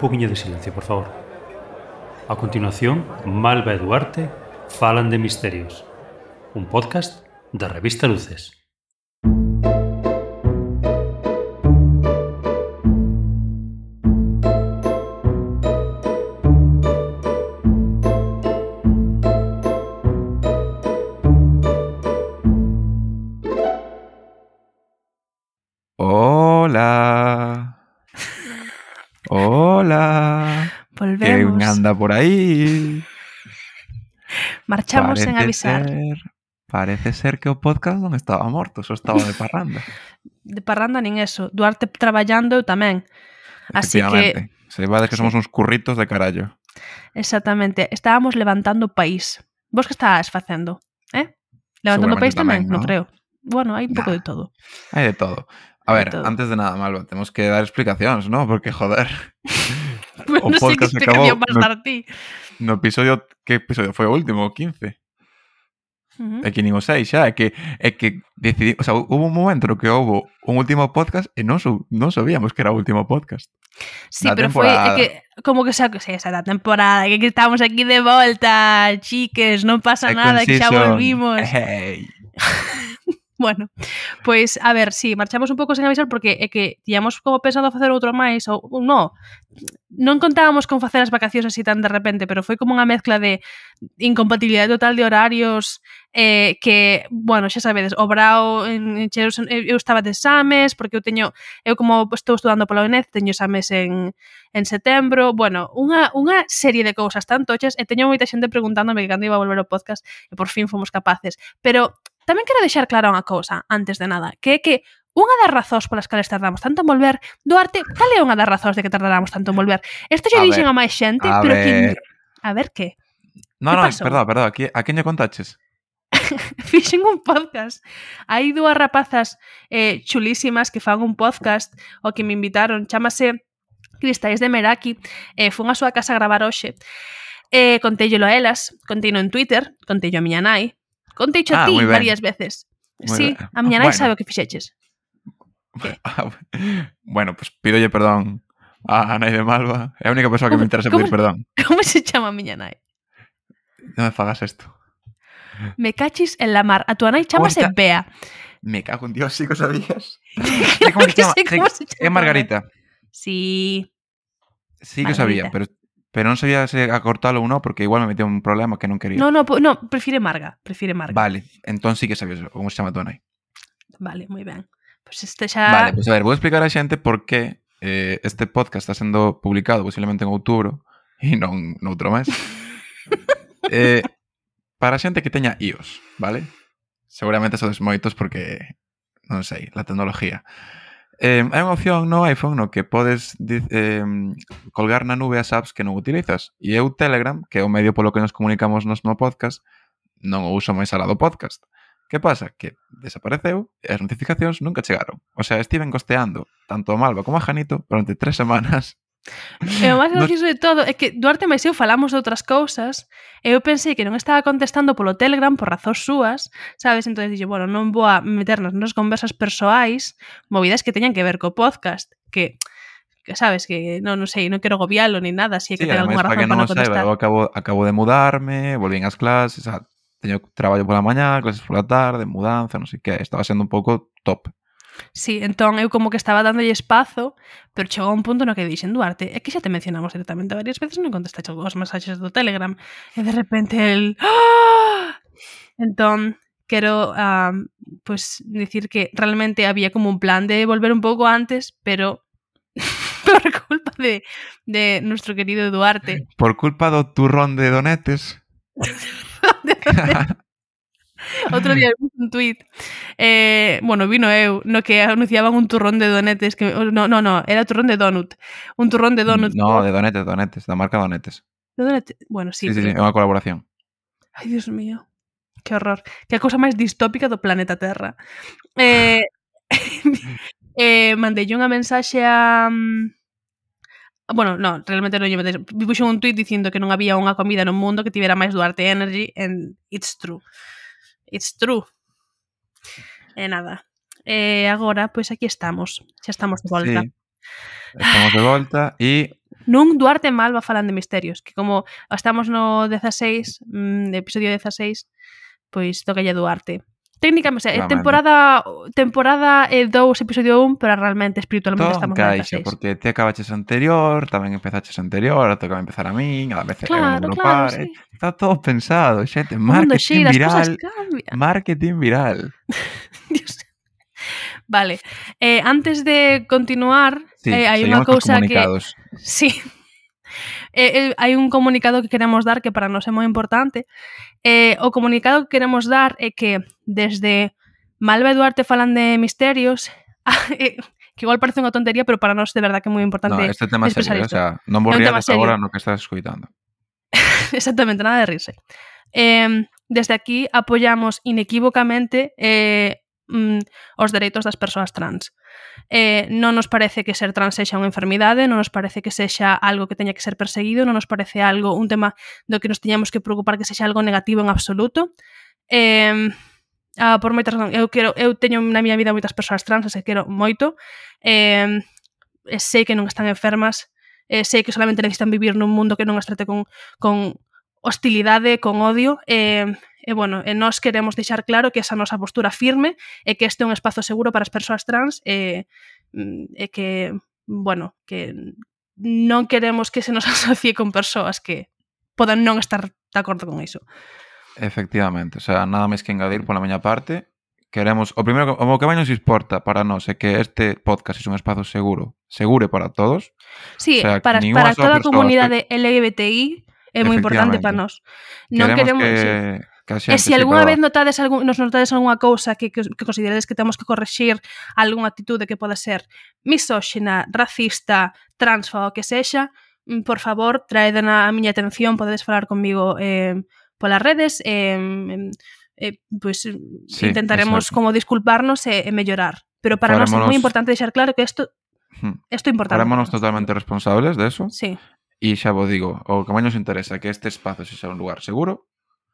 poquinho de silencio, por favor. A continuación, Malva e Duarte falan de misterios. Un podcast da revista Luces. Hola. Hola. Volvemos. ¿Quién anda por ahí? Marchamos sen avisar. Parece ser que o podcast non estaba morto, só estaba de parranda. De parranda nin eso. Duarte traballando, eu tamén. Así Efectivamente. que... Se vade que sí. somos uns curritos de carallo. Exactamente. Estábamos levantando o país. Vos que estás facendo? Levantando o país Seguramente tamén? Non ¿no? creo. Bueno, hai un pouco Nah. de todo. Hai de todo. A Hai ver, de todo. antes de nada, Malva, temos que dar explicacións, ¿no? Porque, joder, Bueno, o non sei que podcast acabou explicación vas dar ti. no episodio... Que episodio foi o último? O 15? É que nin o 6 xa, é que decidí, o sea, hubo un momento no que houbo un último podcast e non sabíamos que era o último podcast. Sí, Da pero foi temporada. que como que esa da temporada, que estamos aquí de volta, chiques, non pasa nada, que xa volvimos. Hey. Bueno, pois, a ver, sí, marchamos un pouco sen avisar porque é que tíamos como pensado facer outro máis ou non contábamos con facer as vacacións así tan de repente, pero foi como unha mezcla de incompatibilidade total de horarios, que, bueno, xa sabedes, o Brao en Cheros, eu estaba de exames, porque eu como estou estudando pola UNED, teño exames en setembro, bueno, unha serie de cousas tan tochas, e teño moita xente preguntándome que cando iba a volver o podcast, e por fin fomos capaces, pero tamén quero deixar clara unha cousa, antes de nada, que é que unha das razóns polas cales tardamos tanto en volver, Duarte, cal é unha das razóns de que tardáramos tanto en volver? Isto xa dixen a máis xente, pero que... A ver, que? No, pasou? perdón, a quen lle contaches? Fixen un podcast. Hai dúas rapazas chulísimas que fan un podcast o que me invitaron, chámase Cristais de Meraki, fun a súa casa a gravar hoxe, contéllelo a elas, conteino en Twitter, conteillo a miña nai, conteicho a ti varias veces. Muy sí, ben. a miña nai sabe o que fixeches. Que? Bueno, pues pídolle perdón a nai de Malva. É a única persoa que me interesa pedir perdón. Como se chama a miña nai? Non me fagas isto. Me cachis en la mar. A tua nai chamase Bea. Me cago en Dios, sí que sabías. ¿Cómo se llama? É Margarita. Sí. Sí que sabía, pero non sabía se acortalo ou non, porque igual me metía un problema que non quería. No, prefire Marga. Vale, entón sí que sabías como se chama tua nai. Vale, moi ben. Pois este xa... Vale, pois a ver, vou explicar a xente por que este podcast está sendo publicado posiblemente en outubro e non noutro mes. Para a xente que teña iOS, vale? Seguramente sodes moitos porque, non sei, la tecnología. Hai unha opción no iPhone no que podes colgar na nube as apps que non utilizas. E eu Telegram, que é o medio polo que nos comunicamos no podcast, non o uso máis alá do podcast. Que pasa? Que desapareceu e as notificacións nunca chegaron. O sea, estiven costeando tanto a Malva como a Janito durante 3 semanas. E o máis gracioso de todo é que Duarte máis eu falamos de outras cousas e eu pensei que non estaba contestando polo Telegram por razóns súas, sabes? Entón dixo, bueno, non vou a meternos nas conversas persoais, movidas que teñan que ver co podcast, que sabes, que non sei, non quero gobialo ni nada, si é que ten algunha razón para non contestar. Eu acabo de mudarme, volvín ás clases, teño traballo pola mañá, clases pola tarde, mudanza, non sei que, estaba sendo un pouco top. Sí, entón eu como que estaba dándolle espazo, pero chegou un punto no que dixen, Duarte, é que xa te mencionamos directamente varias veces, non contestaste os mensaxes do Telegram, e de repente el... ¡Ah! Entón, quero pues dicir que realmente había como un plan de volver un pouco antes, pero por culpa de nuestro querido Duarte. Por culpa do turrón de donetes. Outro día vi un tuit, bueno, vino eu, no que anunciaban un turrón de donetes que no, era turrón de donut. Un turrón de donut. No, de donetes, da marca Donetes. De donetes, bueno, sí. Sí, é unha colaboración. Ai, Dios mío. Que horror. Que a cousa máis distópica do planeta Terra. Mandeille unha mensaxe a bueno, no, realmente non lle mandei. Puxo un tuit dicindo que non había unha comida no mundo que tivera máis Duarte Energy and it's true. It's true. E nada. Agora, pois aquí estamos. Xa estamos de volta. Sí. Estamos de volta e Nun Duarte e Malva falan de misterios, que como estamos no 16, episodio 16, pois tocalle Duarte. Técnicamente, temporada 2, episodio 1, pero realmente espiritualmente Todo estamos no encaixa, 16. porque ti acabaches anterior, tamén empezaches anterior, ahora toca empezar a min, a veces eu non Claro, lo claro, pare. sí. Está todo pensado, xente, O mundo marketing xira, as cousas viral, cambian. marketing viral. Dios. Vale, antes de continuar, Sí, hai unha seguimos cos cousa que... comunicados. Sí. Hai un comunicado que queremos dar que para nós é moi importante. O comunicado que queremos dar é que desde Malva e Duarte falan de misterios, que igual parece unha tontería, pero para nós de verdad que é moi No, importante este tema é expresar serio, o isto. sea, non vos É un tema riades serio. agora no que estás escoitando. Exactamente, nada de rirse. Desde aquí apoyamos inequívocamente os dereitos das persoas trans. Non nos parece que ser trans sexa unha enfermidade, non nos parece que sexa algo que teña que ser perseguido, non nos parece un tema do que nos teñamos que preocupar que sexa algo negativo en absoluto. Por moitas razóns, eu teño na miña vida moitas persoas trans, e quero moito. Sei que non están enfermas, sei que solamente necesitan vivir nun mundo que non as trate con hostilidade, con odio, bueno, nós queremos deixar claro que esa nosa postura firme é que este é un espazo seguro para as persoas trans e que, bueno, que non queremos que se nos asocie con persoas que podan non estar de acordo con iso. Efectivamente, o sea, nada máis que engadir pola miña parte. Queremos, o primeiro, o que máis nos importa para nós é que este podcast é un espazo seguro para todos. Sí, O sea, para toda a comunidade LGBTI é moi importante para nós. Non queremos que a xente, e se algunha vez nos notades algunha cousa que consideredes que temos que correxir, algunha actitude que poda ser misóxina, racista, transfoba, o que sexa, por favor, traedena a miña atención, podedes falar comigo polas redes, pois sí, intentaremos como disculparnos e mellorar. Pero para nós é moi importante deixar claro que isto é importante. Farémonos totalmente responsables de eso. Sí. E xa vos digo, o que máis nos interesa é que este espazo sexa un lugar seguro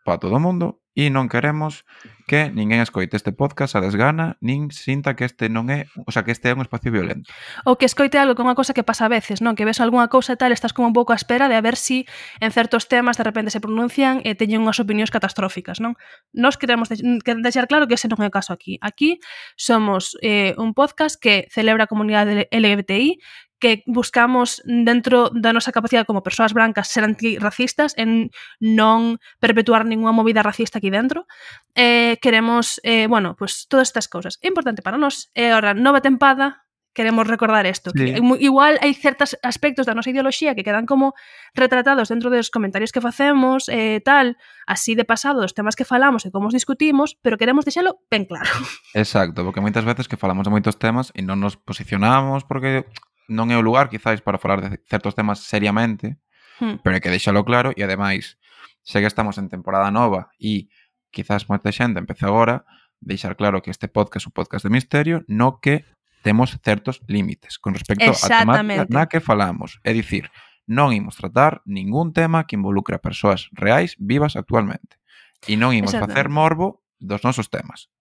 para todo o mundo e non queremos que ninguén escoite este podcast a desgana nin sinta que este non é, o sea, que este é un espacio violento. Ou que escoite algo que é unha cousa que pasa a veces, non? Que ves algunha cousa e tal, estás como un pouco a espera de a ver si en certos temas de repente se pronuncian e teñen unhas opinións catastróficas, non? Nós queremos deixar claro que ese non é o caso aquí. Aquí somos un podcast que celebra a comunidade LGBTI, que buscamos dentro da nosa capacidade como persoas brancas ser antirracistas en non perpetuar ninguna movida racista aquí dentro. Queremos, bueno, pues todas estas cousas. É importante para nós. E ahora, nova tempada, queremos recordar isto. Sí. Igual hai certos aspectos da nosa ideoloxía que quedan como retratados dentro dos comentarios que facemos, tal, así de pasado, dos temas que falamos e como os discutimos, pero queremos deixalo ben claro. Exacto, porque moitas veces que falamos de moitos temas e non nos posicionamos porque non é o lugar, quizáis, para falar de certos temas seriamente, pero hai que deixalo claro e, ademais, sei que estamos en temporada nova e quizás moita xente empece agora, deixar claro que este podcast é un podcast de misterio, no que temos certos límites con respecto á temática na que falamos. É dicir, non imos tratar ningún tema que involucre a persoas reais vivas actualmente. E non imos facer morbo dos nosos temas.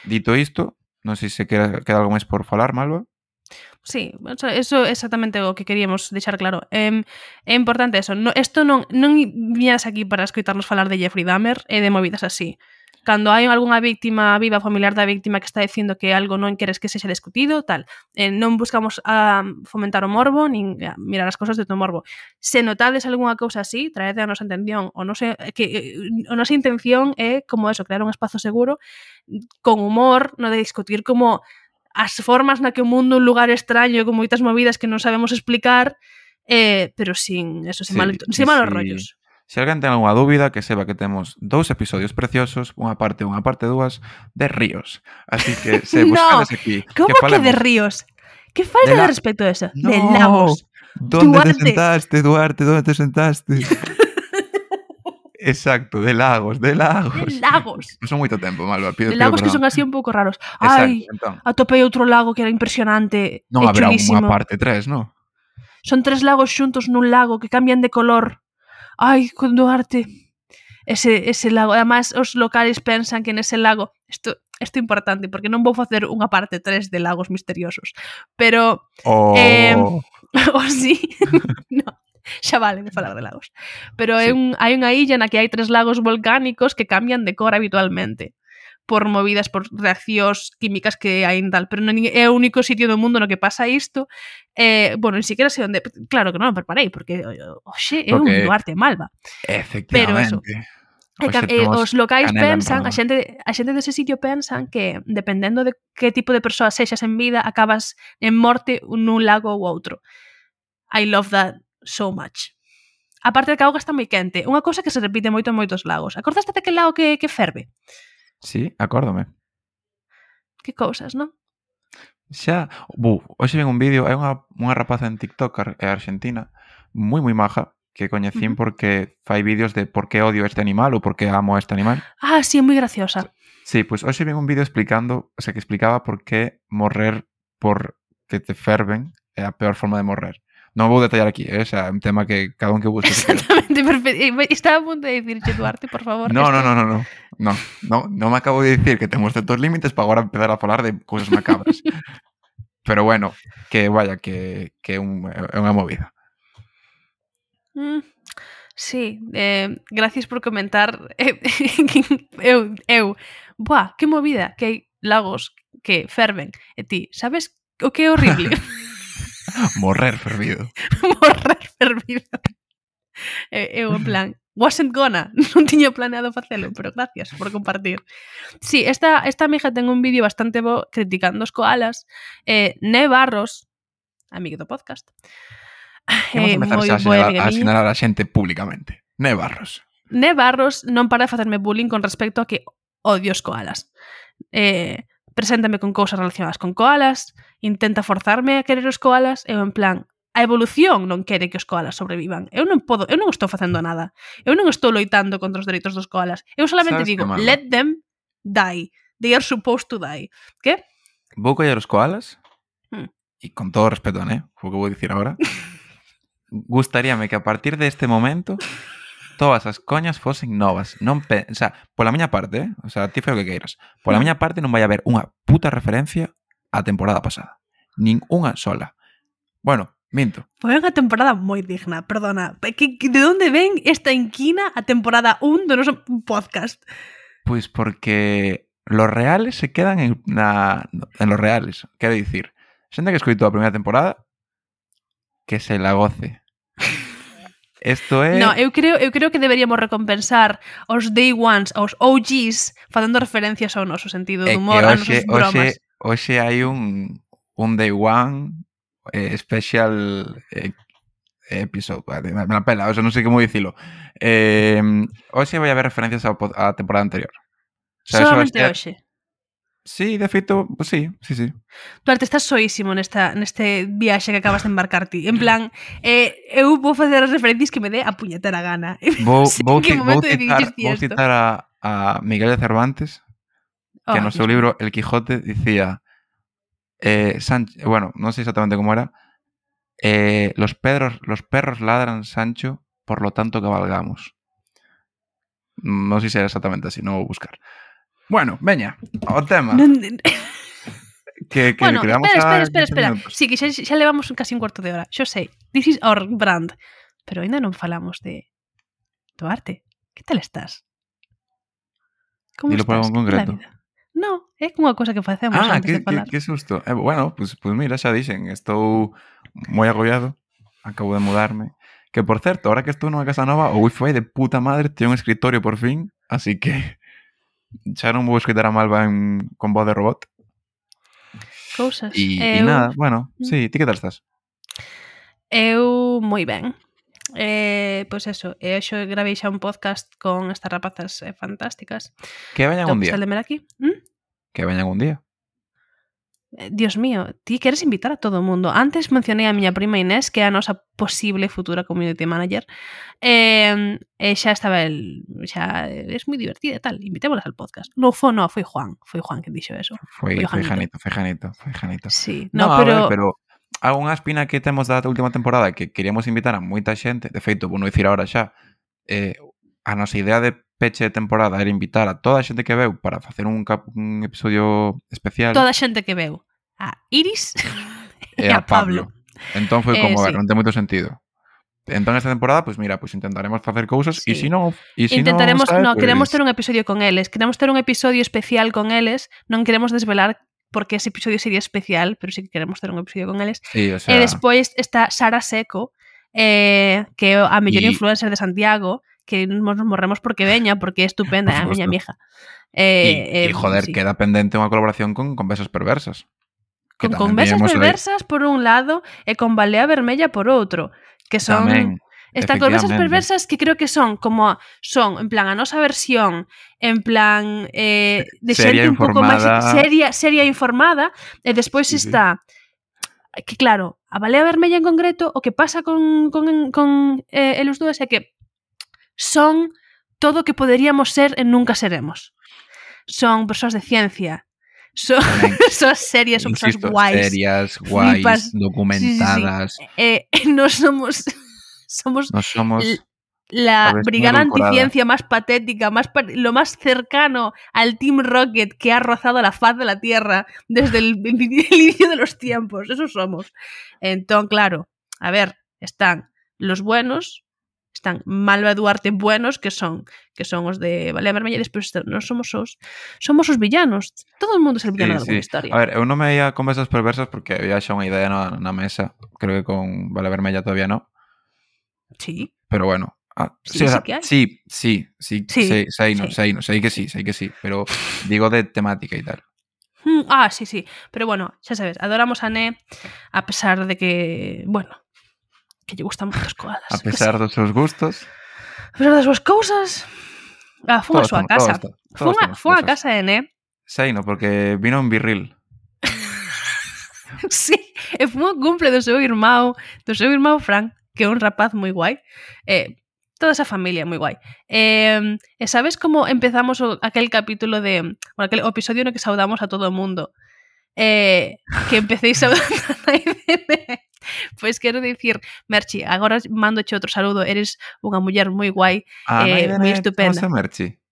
Dito isto, non sei se queda algo máis por falar, Malva. Sí, eso é exactamente o que queríamos deixar claro. É importante eso. Isto non viñas aquí para escoitarnos falar de Jeffrey Dahmer e de movidas así. Cando hai algunha víctima viva, familiar da víctima que está dicindo que algo non queres que sexa discutido, tal, non buscamos fomentar o morbo, nin mirar as cousas de todo morbo. Se notades algunha cousa así, traede a nosa intención. A nosa intención é, como eso, crear un espazo seguro, con humor, no de discutir como as formas na que o mundo é un lugar extraño con moitas movidas que non sabemos explicar, pero sin malos rollos. Se alguén ten algunha dúbida, que seba que temos 2 episodios preciosos, unha parte 2 de ríos. Así que se buscades aquí. Como que de ríos? Que falta de respeto a eso? No, de lagos. ¿Dónde te sentaste, Duarte? ¿Dónde te sentaste? Exacto, de lagos. De lagos. Non son moito tempo, Malva. De lagos que son así un pouco raros. Ai, entón. Atopei outro lago que era impresionante. Non haberá unha parte 3, non? Son 3 lagos xuntos nun lago que cambian de color. Ai, con Duarte. Ese lago. Además, os locales pensan que nese lago... Isto isto é importante, porque non vou facer unha parte 3 de Lagos Misteriosos, pero o sí, no, xa vale de falar de lagos. Pero Sí. hai unha illa na que hai 3 lagos volcánicos que cambian de cor habitualmente por movidas, por reaccións químicas que hai en tal, pero non é o único sitio do mundo no que pasa isto. Bueno, ni siquiera sei onde, claro que non o preparei, porque oxe, é un Porque Duarte Malva. Pero eso, Efectivamente. os locais canela en pensan, rama. a xente dese sitio pensan que dependendo de que tipo de persoa sexas en vida, acabas en morte nun lago ou outro. I love that so much. A parte de que a auga está moi quente, unha cousa que se repite moito en moitos lagos. Acordaste daquele lago que ferve? Sí, acórdome. Que cousas, non? Xa, hoxe ven un vídeo, hai unha rapaza en TikTok argentina, moi maja, que coñecín porque fai vídeos de por que odio este animal ou por que amo este animal. Ah, sí, é moi graciosa. Sí, pois hoxe ven un vídeo explicando, que explicaba por que morrer por que te ferven é a peor forma de morrer. Non vou detallar aquí, é un tema que cada un que busque. Exactamente, perfecto. Estaba a punto de dicirche, Duarte, por favor. No me acabo de dicir que temos certos límites para agora empezar a falar de cousas macabras. Pero bueno, que vaya, que é unha movida. Sí, gracias por comentar. Buah, que movida, que hai lagos que ferven. E ti, sabes o que é horrible? Morrer fervido. Morrer fervido. Eu, en plan, wasn't gonna. Non tiña planeado facelo, pero gracias por compartir. Sí, esta amiga ten un vídeo bastante bo criticando os koalas. Ne Barros, amigo do podcast. Vamos a empezar a sinalar a xente públicamente. Ne Barros non para de facerme bullying con respecto a que odio os koalas. Preséntame con cousas relacionadas con koalas, intenta forzarme a querer os koalas, eu en plan, a evolución non quere que os koalas sobrevivan. Eu non estou facendo nada. Eu non estou loitando contra os dereitos dos koalas. Eu solamente digo, let them die. They are supposed to die. Que? Vou coller os koalas e con todo respeto, o que vou dicir agora, gustaríame que a partir deste momento todas as coñas fosen novas. O sea, pola miña parte, ti fai o que queiras. Pola miña parte non vai haber unha puta referencia á temporada pasada. Nin unha sola. Bueno, minto. Foi unha temporada moi digna, perdona. De onde ven esta inquina a temporada 1 do noso podcast? Pois porque los reales se quedan en los reales. Quero dicir, xente que escoitou a primeira temporada que se la goce. Isto é... No, eu creo que deberíamos recompensar os day ones, os OGs, facendo referencias ao noso sentido de humor, a nosos bromas. Hoxe hai un day one special episode. Me la pela, non sei como dicilo. Hoxe vai haber referencias á temporada anterior. Solamente hoxe. Sí, de feito, sí. Duarte, estás soísimo neste viaxe que acabas de embarcar ti. En plan, eu vou facer as referencias que me dé a puñetera gana. Vou citar a Miguel de Cervantes, que no seu libro El Quijote dicía bueno, non sei exactamente como era, los perros ladran, Sancho, por lo tanto cabalgamos. Non sei se era exactamente así, non vou buscar. Bueno, veña, o tema. Bueno, espera. Sí, que xa levamos casi un cuarto de hora. Xo sei, this is our brand. Pero ainda non falamos de Duarte. Que tal estás? Como Dilo por algo concreto. No, é unha cosa que facemos antes de falar. Que susto. Bueno, pues mira, xa dixen, estou moi agobiado. Acabo de mudarme. Que, por certo, ahora que estou nunha casa nova, o wifi de puta madre ten un escritorio por fin, así que xa non vou escritar a Malva con voz de robot. Cousas. E nada, bueno, sí, ti que tal estás? Eu moi ben. Pois eso, xo gravei xa un podcast con estas rapazas fantásticas. Que veñan un día. Aquí. Que veñan un día. Dios mío, ti queres invitar a todo o mundo. Antes mencionei a miña prima Inés, que é a nosa posible futura community manager. Xa estaba xa é moi divertida e tal. Invitémolas al podcast. No, foi Juan que dixo eso. Foi Janito. Sí, no, pero há unha espina que temos da última temporada que queríamos invitar a moita xente. De feito, vou non dicir agora xa. a nosa idea de peche de temporada era invitar a toda a xente que veu para facer un episodio especial. Toda a xente que veu. A Iris e a Pablo. Entón foi como, a ver, sí. non ten moito sentido. Entón esta temporada, pues mira, pues intentaremos facer cousas e Sí. se non, Intentaremos, sabe, no, pues, queremos ter un episodio con eles, queremos ter un episodio especial con eles, non queremos desvelar porque ese episodio sería especial, pero sí que queremos ter un episodio con eles. sí, o sea, E despois está Sara Seco, que é a mellor influencer de Santiago, que nos morremos porque veña, porque é estupenda, é a miña mija. E joder, sí. queda pendente unha colaboración con Conversas Perversas. Con Conversas Perversas por un lado e con Balea Vermella por outro, que son... Tamén, Están Conversas Perversas que creo que son como en plan a nosa versión, en plan de xente un pouco máis seria informada, e despois sí, está que claro, a Balea Vermella en concreto, o que pasa con eles dúas é que son todo o que poderíamos ser e nunca seremos. Son persoas de ciencia, son persoas serias, son persoas guais. Serias, guais, documentadas. Sí. Nos somos la brigada anticiencia más patética, lo más cercano al Team Rocket que ha rozado la faz de la Tierra desde el inicio de los tiempos. Eso somos. Entonces, claro, a ver, están los buenos, están Malva Duarte buenos, que son os de Balea Vermella, e despois non somos os villanos. Todo o mundo é el villano de alguna historia. A ver, eu non me ia Conversas Perversas porque había xa unha idea na mesa. Creo que con Balea Vermella todavía non. Sí. Pero bueno. Sí, que hai. Sí, sei que sí, pero digo de temática e tal. Sí, pero bueno, xa sabes, adoramos a Né a pesar de que, bueno, que lle gustan moitas coalas. A pesar dos seus gustos. A pesar das súas cousas. Fun a súa casa. Fun a casa de Né. Sei, no, porque vino en Virril. Sí, e fun o cumple do seu irmão Fran, que é un rapaz moi guai. Toda esa familia moi guai. E sabes como empezamos aquel capítulo aquel episodio no que saudamos a todo o mundo? Que empecéis saudando a Irene. Pois quero dicir, Merchi, agora mándoche outro saludo, eres unha muller moi guai, moi estupenda. Como Merchi?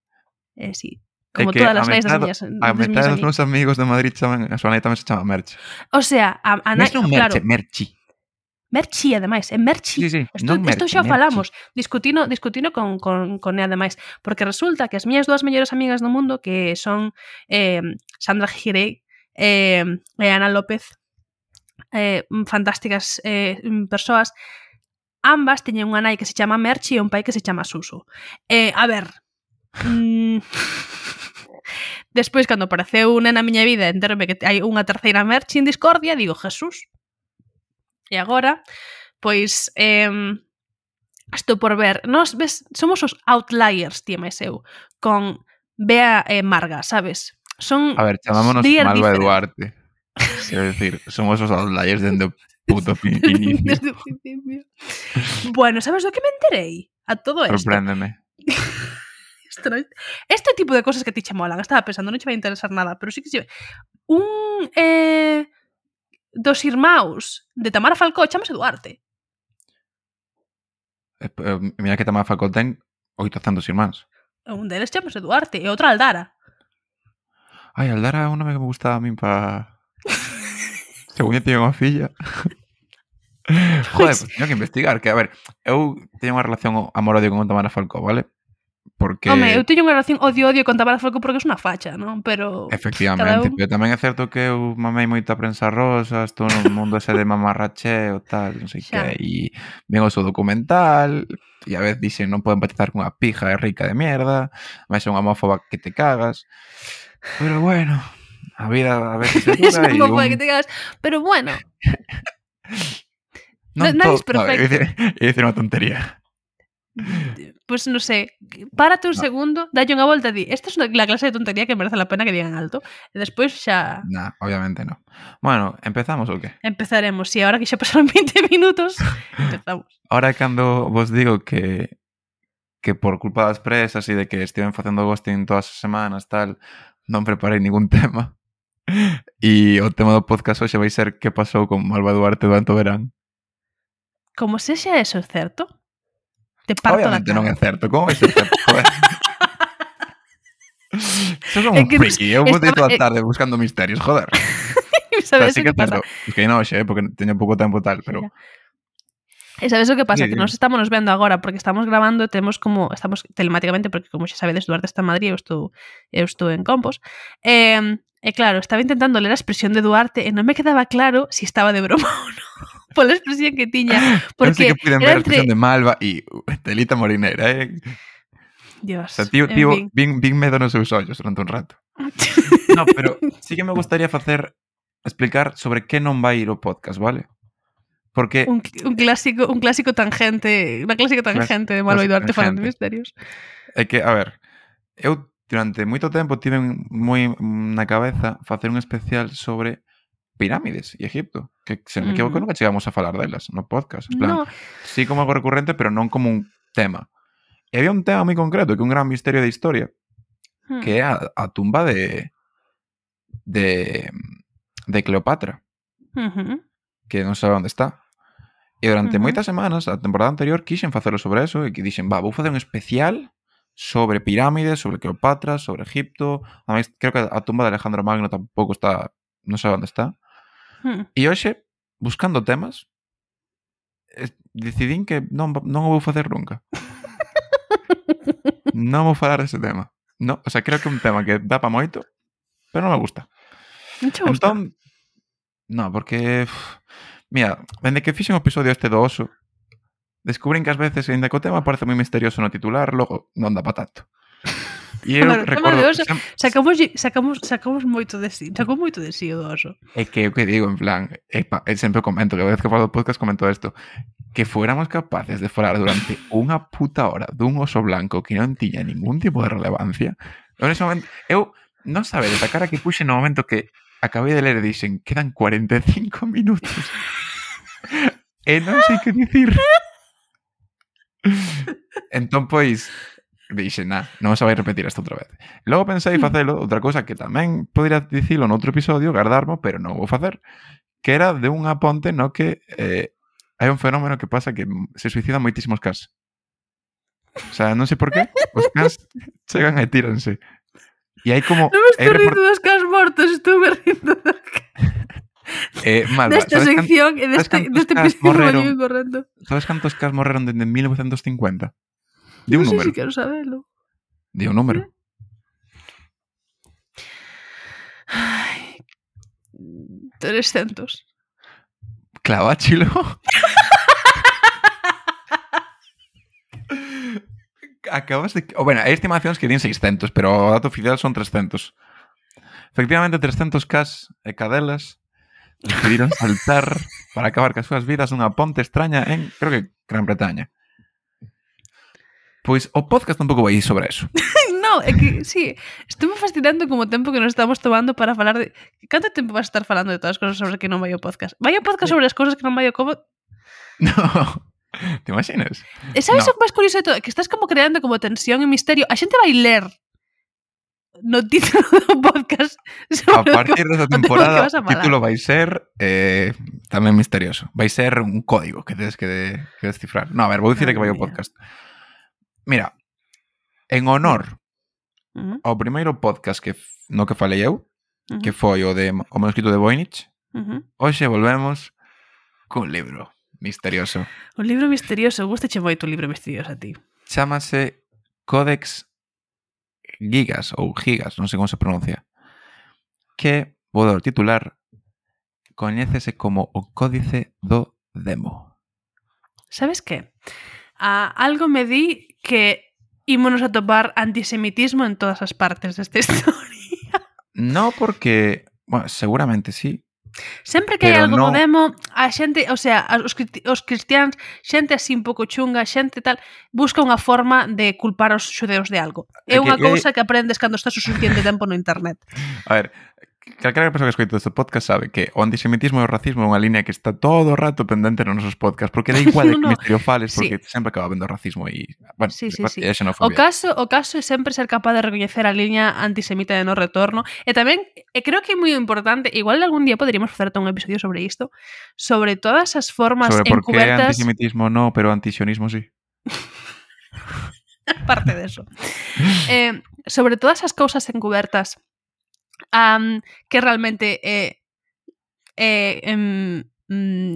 Sí, como todas as nais das miñas a metade dos meus amigos de Madrid a súa nai tamén se chama Merchi. O sea, a nai, claro. Merchi. Merchi, ademais, é Merchi. Sí, Isto xa falamos, discutino con Né, ademais, porque resulta que as miñas dúas mellores amigas do mundo, que son Sandra Girey e Ana López, fantásticas persoas, ambas teñen unha nai que se chama Merchi e un pai que se chama Suso. A ver, despois, cando apareceu na miña vida, enterome que hai unha terceira Merchi en discordia, digo, Jesús. E agora, pois, estou por ver. Nos, ves, somos os outliers, tía máis eu, con Bea e Marga, sabes? Son a ver, chamámonos Malva Duarte. Quero decir, somos os outliers dende o puto inicio. Desde o principio. Bueno, sabes do que me enterei? A todo isto. Sorpréndeme. Este tipo de cosas que ti che molan. Estaba pensando, non che vai interesar nada, pero sí que se... dos irmãos de Tamara Falcó chamase Duarte. Mira que Tamara Falcó ten 800 irmáns. Un deles chamase Duarte e outro Aldara. Ai, Aldara é un nome que me gustaba a min para... Según eu tiña unha filla. Joder, pues teño que investigar. Que, a ver, eu teño unha relación amor-odio con Tamara Falcó, vale? Porque... Home, eu teño unha relación odio-odio con Tamara Falcó porque é unha facha, non? Pero... Efectivamente, pero tamén é certo que eu mamei moita prensa rosa, estou no mundo ese de mamarracheo, tal, non sei que, e ven o seu documental, e a vez dixen non podo empatizar con unha pija rica de mierda, máis é unha homófoba que te cagas, pero bueno, a vida a veces é dura e homófoba que te cagas, pero bueno... Nadie es perfecto. É dicir unha tontería. Pues non sei, párate un segundo, dalle unha volta e di, esta é a clase de tontería que merece la pena que digan alto, e despois xa... Nah, obviamente no. Bueno, ¿empezamos ou que? Empezaremos, si ahora que xa pasaron 20 minutos, empezamos. Ahora cando vos digo que por culpa das presas e de que estiven facendo ghosting todas as semanas, tal, non preparei ningún tema. E o tema do podcast hoxe vai ser que pasou con Malva Duarte durante o verán. Como sexa eso, certo? Te parto obviamente non é certo. Como vai ser certo? Joder. Eso é un friki. Eu botei toda a tarde buscando misterios, joder. Sabes o que pasa? Es que non, porque teño pouco tempo tal, pero... E sabes o que pasa? Sí, Que nós estamos nos vendo agora porque estamos grabando, estamos telemáticamente, porque como xa sabedes, Duarte está en Madrid, eu estou en Compos. E claro, estaba intentando ler a expresión de Duarte e non me quedaba claro si estaba de broma ou non. Pola expresión que tiña. Porque eu sei que puiden ver a expresión de Malva e telita morinera, Dios, O sea, tío, en fin. vin medo nos seus ollos durante un rato. No, pero sí que me gustaría explicar sobre que non vai ir o podcast, vale? Porque Un clásico tangente, unha clásica tangente de Malva e Duarte falando de misterios. é que, a ver, eu durante moito tempo tive moi na cabeza facer un especial sobre pirámides e Egipto, que se me equivoco nunca chegamos a falar delas no podcast. En plan, No. sí como algo recurrente, pero non como un tema. E había un tema moi concreto, que é un gran misterio de historia, que é a tumba de Cleopatra, que non sabe onde está. E durante moitas semanas, a temporada anterior, quixen facelo sobre eso, e que dixen, vou facer un especial sobre pirámides, sobre Cleopatra, sobre Egipto. Ademais, creo que a tumba de Alejandro Magno tampouco está, non sabe onde está. E hoxe, buscando temas, decidín que non o vou facer nunca. Non vou falar dese tema. No, o sea, creo que é un tema que dá pa moito, pero non me gusta. Non che gusta? Entón, no, porque... Mira, dende que fixen o episodio este do oso, descubrín que ás veces, ainda que o tema parece moi misterioso no titular, logo non dá pa tanto. E eu recordo... Sacamos moito de sí. Sacou moito de sí o do oso. É que o que digo, en plan... sempre comento, que a vez que falo do podcast comento isto, que fuéramos capaces de falar durante unha puta hora dun oso blanco que non tiña ningún tipo de relevancia. En ese momento, eu non sabedes a cara que puxe no momento que acabei de ler e dixen, quedan 45 minutos. E non sei que dicir. Entón, pois, dixen, non se vai repetir isto outra vez. Logo pensei facelo, outra cousa que tamén podría dicilo noutro episodio, gardarmo, pero non vou facer, que era de unha ponte no que hai un fenómeno que pasa que se suicidan moitísimos cans. O sea, non sei por qué, os cans chegan e tíranse. E hai como... Non me estou rindo dos cans mortos, estou me rindo dos cans. Malva, desta sección e deste episodio moi correcto. Sabes cantos cans morreron desde 1950? Di un número. Non sei se quero sabelo. Di un número. Ai, 300. Claváchilo. Acabas de... Bueno, hai estimacións que din 600, pero o dato oficial son 300. Efectivamente, 300 cas e cadelas decidiron saltar para acabar cas súas vidas nunha ponte extraña en, creo que, Gran Bretaña. Pois o podcast tampouco vai ir sobre eso. No, é que, sí, estuve fascinando como tempo que nos estamos tomando para falar de... Canto tempo vas a estar falando de todas as cosas sobre que non vai o podcast? Vai o podcast sobre as cosas que non vai o como... No, te imaginas? E sabes o que máis curioso de todo? Que estás como creando como tensión e misterio. A xente vai ler no título do podcast. A partir desta temporada o título vai ser tamén misterioso. Vai ser un código que tedes que descifrar. No, a ver, vou dicir que vai o podcast. Mira, en honor ao primeiro podcast no que falei eu, que foi o manuscrito de Voynich, hoxe volvemos cun libro misterioso. Un libro misterioso. Gustache moito un libro misterioso a ti. Chámase Codex Gigas ou Gigas, non sei como se pronuncia, que, vou dar o titular, coñécese como o Códice do Demo. Sabes que? Algo me di que ímonos a topar antisemitismo en todas as partes desta historia. No, porque, bueno, seguramente sí. Sempre que hai algo no demo, a xente, o sea, os cristiáns, xente así un pouco chunga, xente tal, busca unha forma de culpar aos xudeus de algo. É unha cousa que aprendes cando estás o suficiente tempo no internet. A ver, calquera persoa que escoite este podcast sabe que o antisemitismo e o racismo é unha línea que está todo o rato pendente nos nosos podcasts, porque da igual de que misterio fales, porque sempre acaba vendo racismo e, bueno, sí. e xenofobia. O caso é sempre ser capaz de recoñecer a liña antisemita de no retorno, e tamén, creo que é moi importante, igual algún día poderíamos facer un episodio sobre isto, sobre todas as formas sobre encubertas... Sobre por que antisemitismo no, pero antisionismo sí. Aparte de eso. Sobre todas as cousas encubertas que realmente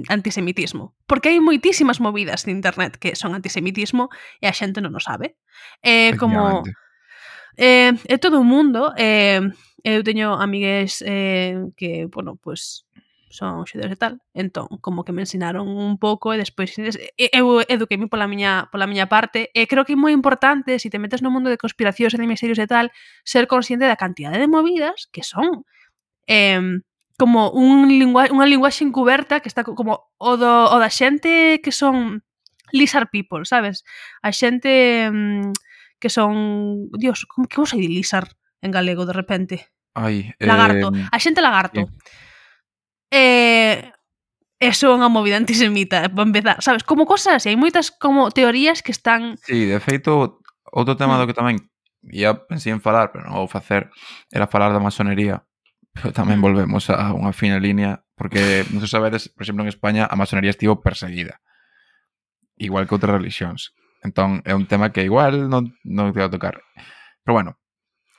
antisemitismo. Porque hai moitísimas movidas de internet que son antisemitismo e a xente non o sabe. Como todo o mundo, eu teño amigues que, bueno, pues son xudeus e tal, entón, como que me ensinaron un pouco e despois eu eduqueime pola miña parte e creo que é moi importante, se te metes no mundo de conspiracións e de misterios e tal, ser consciente da cantidade de movidas que son como unha linguaxe encuberta que está como o da xente que son lizard people, sabes? A xente que son... Dios, como se di lizard en galego de repente? Lagarto. A xente lagarto. Eso é unha movida antisemita, para empezar, sabes? Como cosas así, hai moitas como teorías que están... Sí, de feito, outro tema do que tamén ia pensei en falar, pero non vou facer, era falar da masonería, pero tamén volvemos a unha fina línea, porque, non sei sabedes, por exemplo, en España a masonería estivo perseguida, igual que outras religións. Entón, é un tema que igual non te vai a tocar. Pero bueno,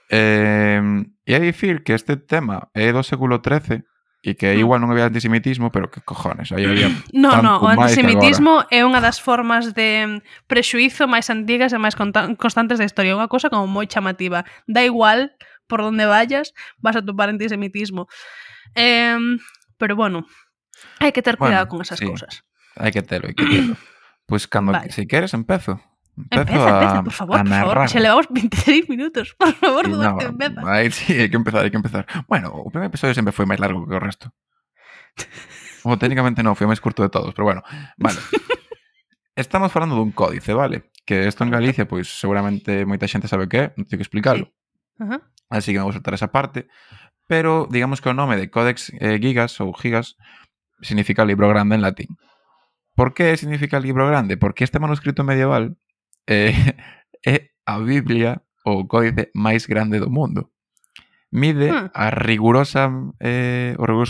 ia dicir que este tema é do século XIII e que igual non había antisemitismo, pero que cojones, aí había No, o antisemitismo é unha das formas de prexuízo máis antigas e máis constantes da historia, unha cosa como moi chamativa. Da igual por donde vayas, vas a topar antisemitismo. Pero bueno, hai que ter cuidado con esas cousas. Hai que telo. Pois cando, se queres, empezo. Empeza, por favor. Se levamos 26 minutos. Por favor, Duarte, empeza. Sí, hai que empezar. Bueno, o primeiro episodio sempre foi máis largo que o resto. Técnicamente non, foi o máis curto de todos, pero bueno, vale. Estamos falando dun códice, vale? Que isto en Galicia, pois seguramente moita xente sabe que é, non teño que explicarlo. Sí. Así que me vou saltar esa parte. Pero digamos que o nome de Codex Gigas ou Gigas significa libro grande en latín. Por que significa libro grande? Porque este manuscrito medieval é a Biblia ou o códice máis grande do mundo. Mide o riguroso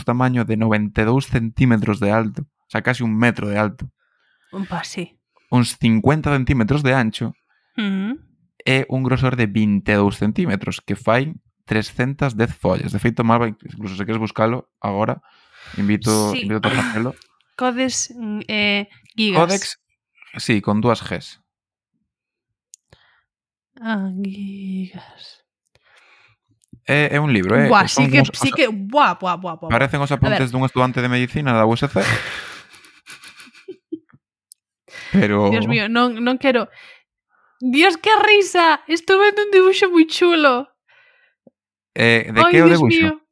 tamaño de 92 centímetros de alto, o sea, casi 1 metro de alto. Sí. Uns 50 centímetros de ancho e un grosor de 22 centímetros, que fai 310 follas. De feito, Malva, incluso se queres buscalo agora, invito a facelo. Codex Gigas. Codex, sí, con 2 Gs. Gigas. É un libro, Buah, sí que... Buah. Parecen os apuntes dun estudante de medicina da USC. Pero... Dios mío, non quero... Dios, que risa! Estou vendo un dibuixo moi chulo. De que é o dibuixo?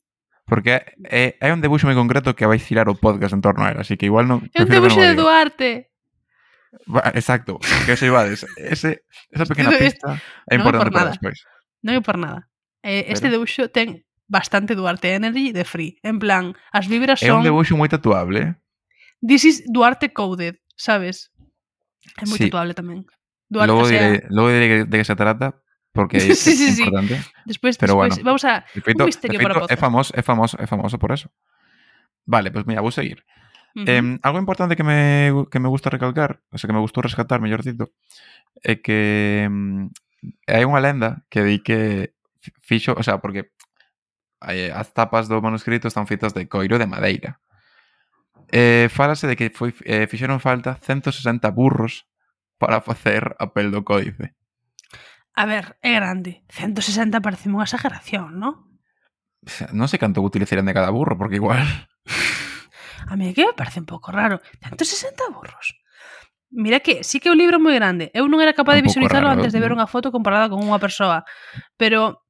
Porque hai un dibuixo moi concreto que vai girar o podcast en torno a él, así que igual non... É un dibuixo de Duarte. Exacto, que se ibades. Esa pequena pista é importante para despois. Non é por nada. Este dibuixo ten bastante Duarte Energy de free. En plan, as vibras son... É un dibuixo moi tatuable. This is Duarte coded, sabes? É moi tatuable tamén. Logo diré de que se trata, porque é importante. Despois bueno, vamos a... un misterio para o podcast. É famoso por eso. Vale, pues mira, vou seguir. Algo importante que me gusta recalcar, o sea, que me gustou rescatar, mellor dito, é que hai unha lenda que di que fixo, o sea, porque as tapas do manuscrito están feitas de coiro de madeira. Fálase de que fixeron falta 160 burros para facer a pel do códice. A ver, é grande. 160 parece unha exageración, non? Non sei canto utilizarían de cada burro, porque igual... A mí que me parece un pouco raro. 160 burros. Mira que sí que é un libro moi grande. Eu non era capaz de visualizarlo antes de ver unha foto comparada con unha persoa. Pero...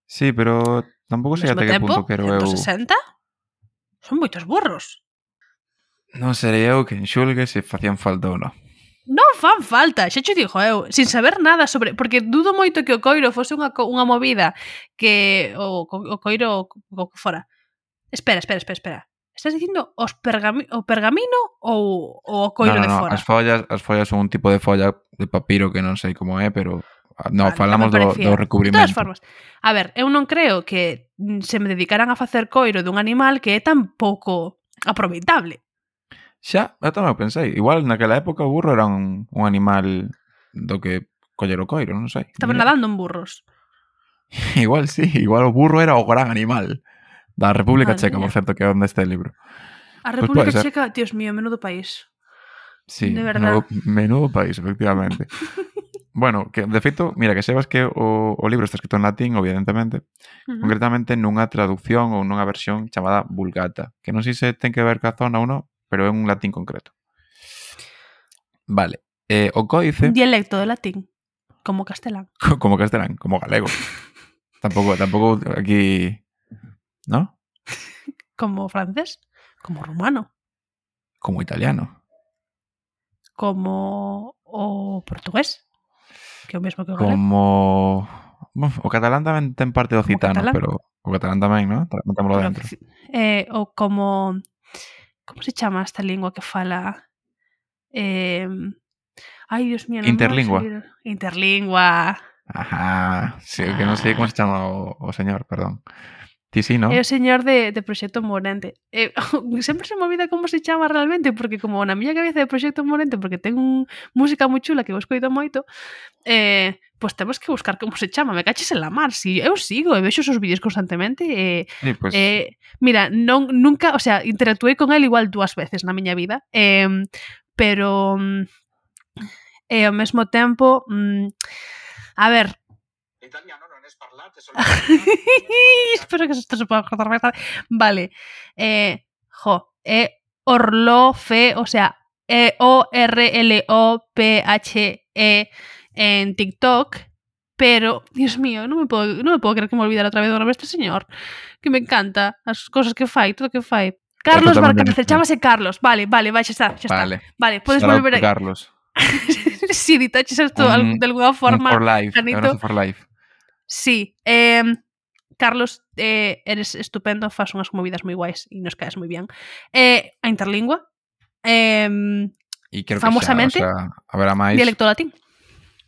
Sí, pero tampouco sei até que punto quero eu... 160? Son moitos burros. Non serei eu que enxulgue se facían falta ou non. Non fan falta, xa te dixo eu, sin saber nada sobre... Porque dudo moito que o coiro fose unha movida que o coiro o que fora. Espera. Estás dicindo o pergamino ou o coiro de fora? As follas son un tipo de folla de papiro que non sei como é, pero non, vale, falamos do recubrimento. De todas formas, a ver, eu non creo que se me dedicaran a facer coiro dun animal que é tan pouco aproveitable. Xa, eu tamén pensei. Igual naquela época o burro era un animal do que coller o coiro, non sei. Estaban nadando en burros. Igual sí, igual o burro era o gran animal da República Madre Checa, por mía. certo, que é onde este libro. A Pois República pode ser. Checa, Dios mío, menudo país. Sí, De verdad. menudo país, efectivamente. Bueno, que de feito, mira, que sebas que o libro está escrito en latín, evidentemente, concretamente nunha traducción ou nunha versión chamada Vulgata, que non sei se ten que ver ca zona ou non, pero é un latín concreto. Vale. O códice, Un dialecto de latín, como castelán. como castelán, como galego. Tampouco aquí, ¿no? Como francés, como rumano, Como italiano. como o portugués, que é o mesmo que o galego. Como... Bueno, o catalán tamén ten parte do Como citano, catalán. pero o catalán tamén, ¿no? Metémolo Pero dentro. o como... Como se chama esta lingua que fala... Ai, Dios mío, non Interlingua. me vai salir. Interlingua. Ajá, sí, que non sei como se chama o señor, perdón. Ti sí, ¿no? É o señor de Proxecto Morente. Sempre se me olvida como se chama realmente, porque como na miña cabeza de Proxecto Morente, porque ten música moi chula que vos coido moito, pois temos que buscar como se chama. Me caches en la mar. Si eu sigo e vexo os vídeos constantemente. Sí, pues... Mira, nunca, o sea, interactuei con él igual 2 veces na miña vida, pero ao mesmo tempo, a ver, Italiano non es parlate, solo espero que esto se pueda cortar máis tarde. Vale. Orlofe, o sea, ORLOPHE en TikTok, pero, Dios mío, non me puedo creer que me olvidara otra vez o nome este señor, que me encanta as cosas que fai, todo o que fai. Carlos Barcárcel, chámase Carlos. Vale, xa está. Vale, podes volver a... Carlos. Si ditaches isto de alguna forma... For life, Janito, for life. Sí, Carlos, eres estupendo, fas unhas movidas moi guais e nos caes moi bien. A Interlingua, E quero famosamente, que xa, o sea, haberá máis... dialecto latín.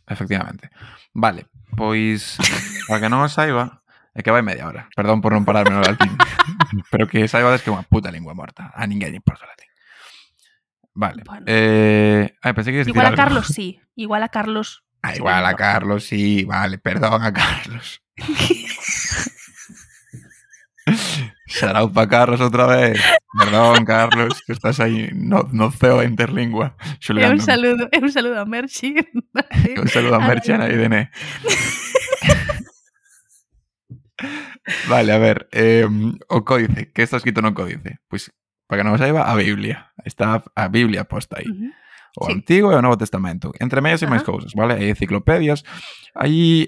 Efectivamente. Vale, pois, para que non o saiba, é que vai media hora. Perdón por non pararme no latín. Pero que saibades que é unha puta lingua morta. A ninguén lle importa o latín. Vale. Bueno. Pensei que Igual a Carlos, sí. Igual a Carlos... igual a Carlos, sí. Vale, perdón a Carlos. Shout pa Carlos outra vez. Perdón, Carlos, que estás aí no CEO de Interlingua. Un saludo a Merchi. Un saludo a Merchi e a Irene. Vale, a ver, o códice, que está escrito no códice? Pois, para que non o saiba, a Biblia. Está a Biblia posta aí. O Antigo e o Novo Testamento. Entre medias e máis cousas, vale? Hai enciclopedias, hai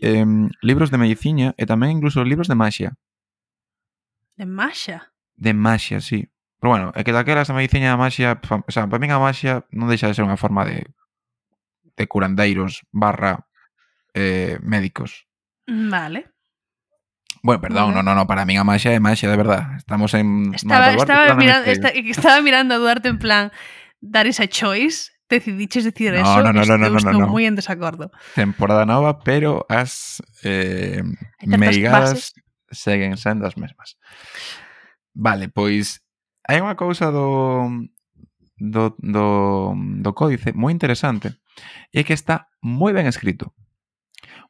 libros de medicina e tamén incluso libros de maxia. De maxia? De maxia, sí. Pero bueno, é que daquelas a medicina e a maxia, o sea, para min a maxia non deixa de ser unha forma de curandeiros barra médicos. Vale. Bueno, perdón, no, para min a maxia é maxia, de verdad. Estamos en... Estaba mirando a Duarte en plan, dar esa choice, decidiches decir eso, estou moi en desacordo. Temporada nova, pero as meigadas seguen sendo as mesmas. Vale, pois hai unha cousa do códice moi interesante e é que está moi ben escrito.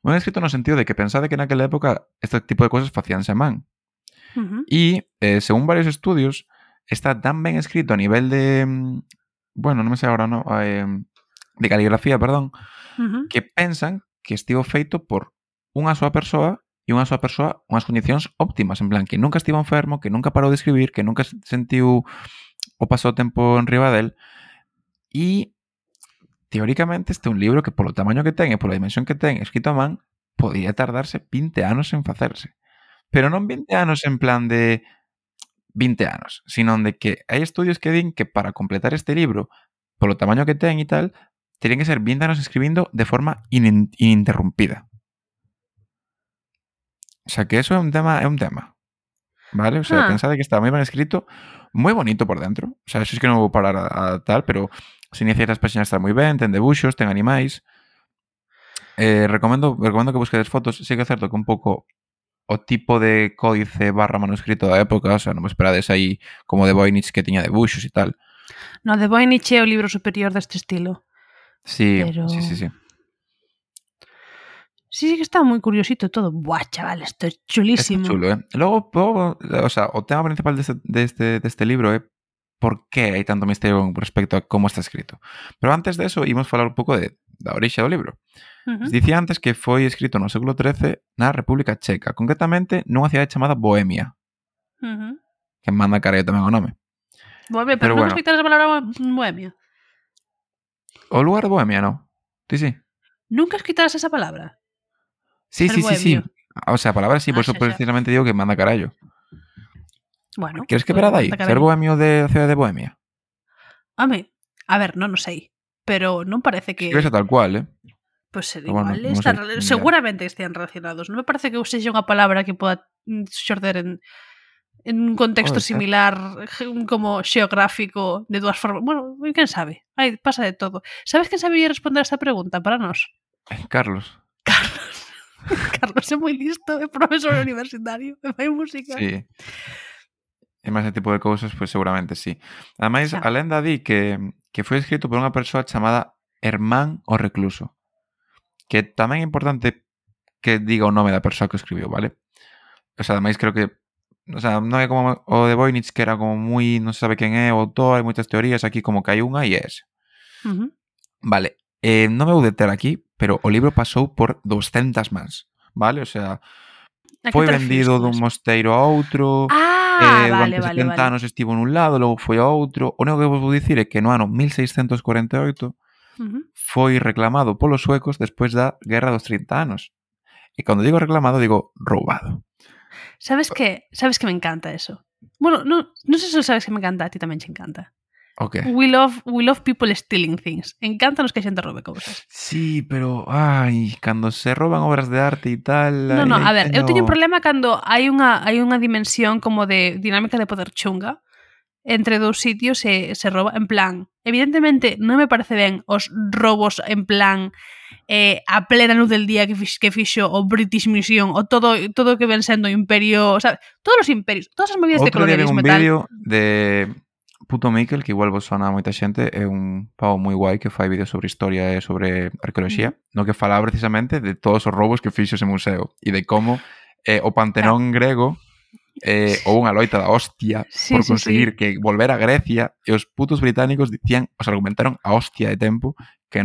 Moi ben escrito no sentido de que pensade que naquela época este tipo de cousas facíanse a man. E, según varios estudios, está tan ben escrito a nivel de... Bueno, non me sei agora, no, de caligrafía, perdón, que pensan que estivo feito por unha soa persoa e unha soa persoa unhas condicións óptimas, en plan, que nunca estivo enfermo, que nunca parou de escribir, que nunca sentiu o pasou tempo en riba del, e teóricamente este é un libro que polo tamaño que ten e pola dimensión que ten escrito a man podría tardarse 20 anos en facerse. Pero non 20 anos en plan de 20 anos, sino de que hai estudios que din que para completar este libro, polo tamaño que ten e tal, terían que ser 20 anos escribindo de forma ininterrumpida. O sea, que eso é un tema, vale? O sea, pensade que está moi ben escrito, moi bonito por dentro. O sea, eso es que non vou parar a tal, pero se iniciar as páxinas está moi ben, ten debuxos, ten animais. Recomendo que busquedes fotos. Sí que é certo que un pouco o tipo de códice barra manuscrito da época, o sea, non me esperades aí como de Voynich que tiña debuxos e tal. No, de Voynich é o libro superior deste estilo. Sí, pero... sí. Sí, que está moi curiosito todo. Buah, chaval, isto é chulísimo. Está chulo, Logo, o sea, o tema principal deste libro é por que hai tanto misterio con respecto a como está escrito. Pero antes de eso, imos falar un pouco da orixe do libro. Dicía antes que foi escrito no século XIII na República Checa, concretamente nunha cidade chamada Bohemia, que manda carallo tamén o nome. Bohemia, Pero pero nunca bueno. escoitaras a palabra Bohemia. O lugar de Bohemia, non? Sí. Nunca escoitaras esa palabra. Sí. Ser bohemio. O sea, a palabra sí, por eso xa. precisamente digo que manda carallo. Bueno. Queres que verá dai? manda Ser carallo. bohemio da cidade de Bohemia? Home, a ver, non o sei. Pero non parece que... Escribese tal cual, Pues ser Bueno, igual, non están sei, seguramente estén relacionados. Non me parece que sexa unha palabra que poda xorder en un contexto Pode ser. similar como xeográfico de dúas formas. Bueno, quen sabe? Ai, pasa de todo. Sabes quen sabía responder a esta pregunta para nós? Carlos. Carlos é moi listo, é profesor universitario, e fai música. Sí. E máis ese tipo de cousas, pois seguramente sí. Ademais, Xa. a lenda di que foi escrito por unha persoa chamada Hermán o Recluso. Que tamén é importante que diga o nome da persoa que o escribiu, vale? O sea, ademais creo que non é como o de Voynich, que era como moi, non se sabe quen é o autor, hai moitas teorías, aquí como que hai unha e é ese. Vale, non me vou deter aquí, pero o libro pasou por 200 mans, vale? O sea, foi vendido dun mosteiro a outro, vale, durante 70 anos estivo nun lado, logo foi a outro. O único que vos vou dicir é que no ano 1648 foi reclamado polos suecos despois da Guerra dos 30 anos. E cando digo reclamado, digo roubado. Sabes que me encanta eso? Bueno, non sei se sabes que me encanta, a ti tamén te encanta. Ok. We love people stealing things. Encántanos que a xente robe cousas. Sí, pero cando se roban obras de arte e tal... No, a ver, eu teño un problema cando hai unha dimensión como de dinámica de poder chunga entre dous sitios e se roba, en plan, evidentemente non me parece ben os robos en plan a plena luz del día que fixo o British Museum o todo que ven sendo o imperio, o sea, todos os imperios, todas as movidas de colonialismo un e tal. vídeo de Puto Miquel, que igual vos sona a moita xente, é un pavo moi guai que fai vídeos sobre historia e sobre arqueoloxía, no que fala precisamente de todos os robos que fixo ese museo e de como o Pantenón grego houve unha loita da hostia por conseguir que volver a Grecia e os putos británicos dicían, os argumentaron a hostia de tempo que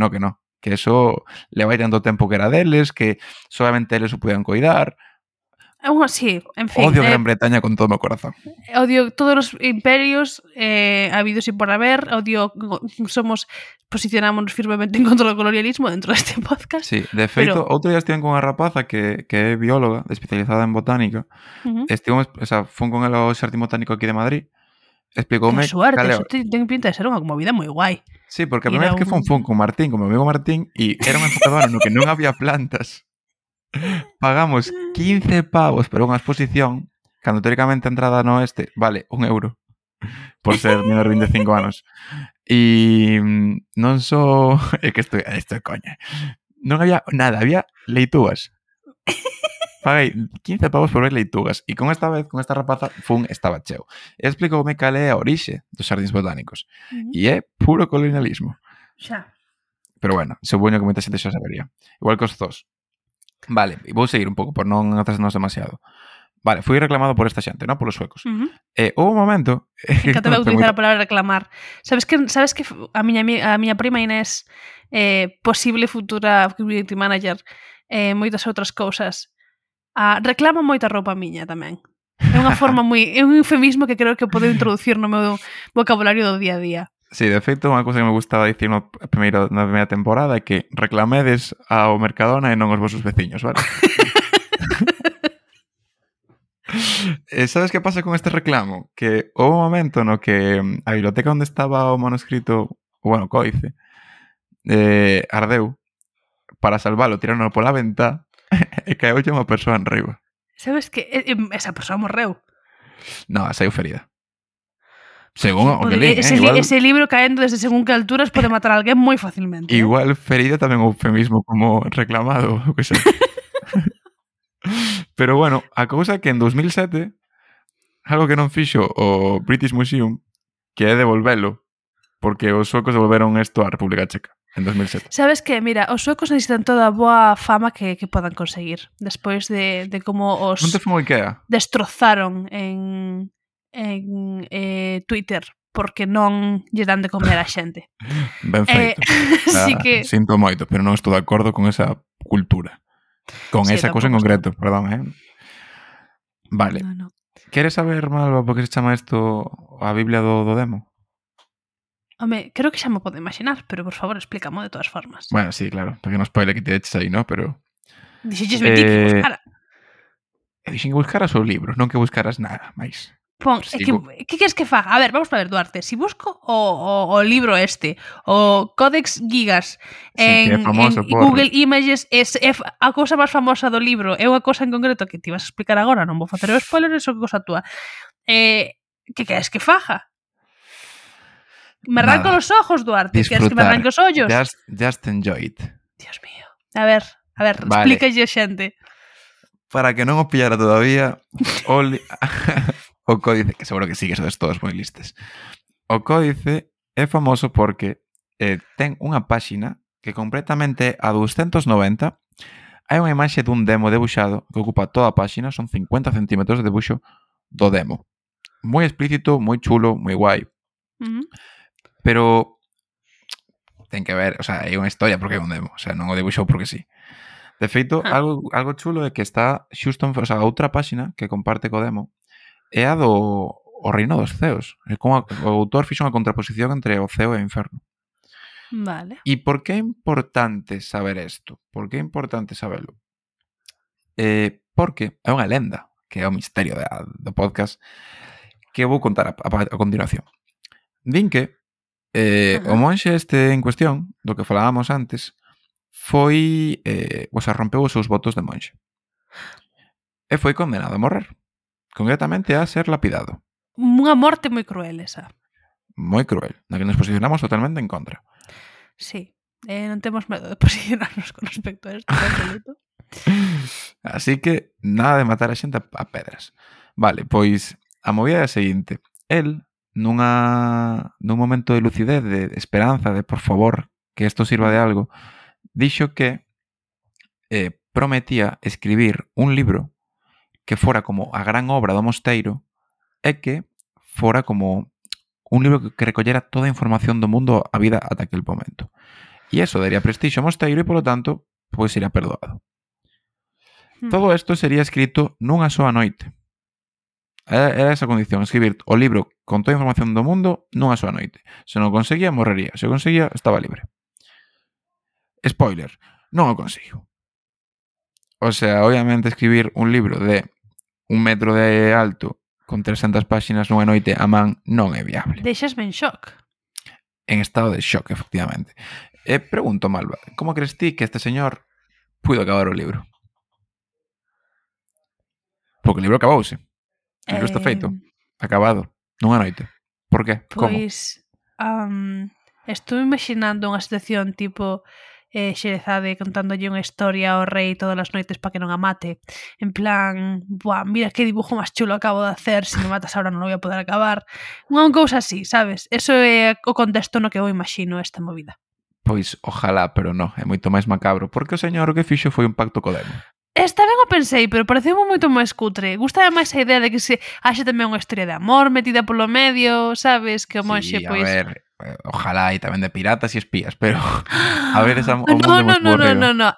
eso leva tanto tempo que era deles, que solamente eles o podían coidar. Sí, en fin. Odio Gran Bretaña con todo o meu corazón. Odio todos os imperios habidos e por haber. Posicionámonos firmemente en contra do colonialismo dentro deste podcast. Sí, de feito, outro día estiven con unha rapaza que é bióloga, especializada en botánica. Fun con ela ao Xardín Botánico aquí de Madrid. Explicoume... Que suerte, eso ten pinta de ser unha movida moi guai. Sí, porque a primeira vez que fun con Martín, con meu amigo Martín, e era un enfocador no que non había plantas. Pagamos 15 pavos por unha exposición cando teóricamente a entrada no oeste vale 1 euro por ser menor de 25 anos e non só é que isto é coña, non había nada, había leitúas. Paguei 15 pavos por ver leitugas e con esta rapaza estaba cheo e explicoume cal é a orixe dos xardíns botánicos e é puro colonialismo. Xa. Pero bueno, supoño que moita xente xa sabería, igual que os zoos. Vale, vou seguir un pouco por non atrasarnos demasiado. Vale, fui reclamado por esta xente, non? Polos suecos. Houve un momento... Que te vai utilizar a palabra reclamar. Sabes que a miña prima Inés, posible futura community manager, moitas outras cousas, reclama moita roupa miña tamén. É unha forma é un eufemismo que creo que podo introducir no meu vocabulario do día a día. Sí, de feito, unha cousa que me gustaba dicir na primeira temporada é que reclamedes ao Mercadona e non aos vosos veciños, vale? Sabes que pasa con este reclamo? Que houve un momento no que a biblioteca onde estaba o manuscrito, bueno, códice, ardeu. Para salvalo, tiraron pola ventá e caeulle unha persoa en riba. Sabes que esa persoa morreu? No, saiu ferida. Según o que lín, ese libro caendo desde según que alturas pode matar a alguén moi facilmente. Igual ferida tamén o eufemismo como reclamado, o que sei. Pero bueno, a cousa que en 2007 algo que non fixo o British Museum, que é devolvelo, porque os suecos devolveron isto á República Checa. en 2007. Sabes que, mira, os suecos necesitan toda a boa fama que podan conseguir despois de como os Non te fun ao IKEA? destrozaron Twitter porque non lle dan de comer a xente. Ben feito. Así que Sinto moito, pero non estou de acordo con esa cultura. Con Sí, esa cousa en tampouco concreto, perdón, Vale. no. Queres saber, Malva, por que se chama isto a Biblia do demo? Home, creo que xa me podo imaginar, pero por favor explícamo de todas formas. Bueno, sí, claro, pequeno spoiler que te eches aí, ¿no? Pero Dixelles Betty que buscara. dixen que buscaras o libro, non que buscaras nada máis. Pon, Sigo. que queres que faga? A ver, vamos a ver, Duarte. Si busco o libro o Codex Gigas Sí, que é en famoso por... Google Images é a cousa máis famosa do libro, é unha cousa en concreto que te vas a explicar agora, non vou facer o spoiler, eso que cousa túa. Que queres que faja? Me arranco Nada. los ojos, Duarte. Queres que me arranque os ollos? Just enjoy it. Dios mío. A ver, Vale. explícalle a xente. Para que non o pillara todavía, o códice, que seguro que sí, que sodes todos moi listes. O códice é famoso porque ten unha páxina que completamente a 290 hai unha imaxe dun demo debuxado que ocupa toda a páxina, son 50 centímetros de debuxo do demo. Moi explícito, moi chulo, moi guai. Pero ten que ver, o sea, hai unha historia porque é un demo, o sea, non o debuxou porque sí. De feito, algo chulo é que está xusto, o sea, a outra páxina que comparte co demo é a do o Reino dos Ceos. É como o autor fixo unha contraposición entre o ceo e o inferno. Vale. E por que é importante saber isto? Por que é importante sabelo? Porque é unha lenda, que é o misterio do podcast, que vou contar a continuación. Din que o monxe este en cuestión, do que falábamos antes, foi, rompeu os seus votos de monxe. E foi condenado a morrer. Concretamente a ser lapidado. Unha morte moi cruel esa. Moi cruel, na que nos posicionamos totalmente en contra. Sí, non temos medo de posicionarnos con respecto a isto, absoluto. Así que nada de matar a xente a pedras. Vale, pois a movida é a seguinte. El, nun momento de lucidez, de esperanza, de por favor, que isto sirva de algo, dixo que prometía escribir un libro que fora como a gran obra do mosteiro e que fora como un libro que recollera toda a información do mundo a vida ata aquel momento. E eso daría prestixio ao mosteiro e, polo tanto, pois sería perdoado. Todo isto sería escrito nunha soa noite. Era esa condición, escribir o libro con toda a información do mundo nunha soa noite. Se non conseguía, morrería. Se o conseguía, estaba libre. Spoiler, non o consigo. O sea, obviamente escribir un libro de 1 metro de alto con 300 páxinas nunha noite a man non é viable. Deixasme en shock. En estado de shock, efectivamente. Pregunto, Malva, como crees ti que este señor puido acabar o libro? Porque o libro acabouse. O libro está feito. Acabado. Nunha noite. Por qué? Como? Pois, estou imaginando unha situación tipo Xerezade contándolle unha historia ao rei todas as noites para que non a mate. En plan, buah, mira que dibujo máis chulo acabo de hacer, se me matas ahora non o voy a poder acabar. Unha cousa así, sabes? Eso é o contexto no que eu imagino esta movida. Pois, ojalá, pero non, é moito máis macabro, porque o señor o que fixo foi un pacto co demo. Esta ben o pensei, pero pareceu moito máis cutre. Gústame máis a idea de que se haxe tamén unha historia de amor metida polo medio, sabes? Que o monxe, Sí, pois... a ver, ojalá e tamén de piratas e espías, pero a ver esa o mundo No.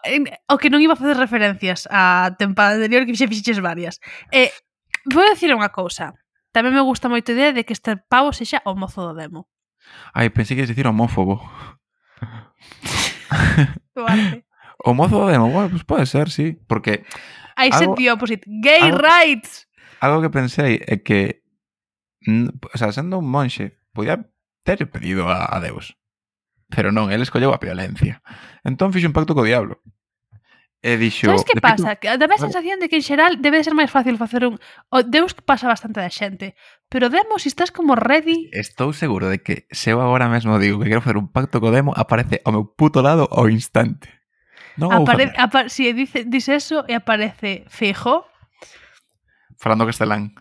O que non iba a facer referencias á tempada anterior que fixeches varias. Vou dicir unha cousa. Tamén me gusta moito a idea de que este pavo sexa o mozo do demo. Ai, pensei que ias dicir homófobo. Duarte. O mozo do demo, bueno, pues pode ser, sí, porque I said the opposite. Gay rights! Algo que pensei é que o sea, sendo un monxe podía ter pedido a Deus, pero non, ele escolleu a violencia. Entón fixo un pacto co diablo. E dixo... Sabes que pasa? Que dame a sensación de que en xeral debe de ser máis fácil facer un... O Deus pasa bastante da xente, pero Demo, si estás como ready... Estou seguro de que se eu agora mesmo digo que quero facer un pacto co demo, aparece ao meu puto lado ao instante. Non o vou facer. Si dice eso e aparece Feijóo... Falando castelán.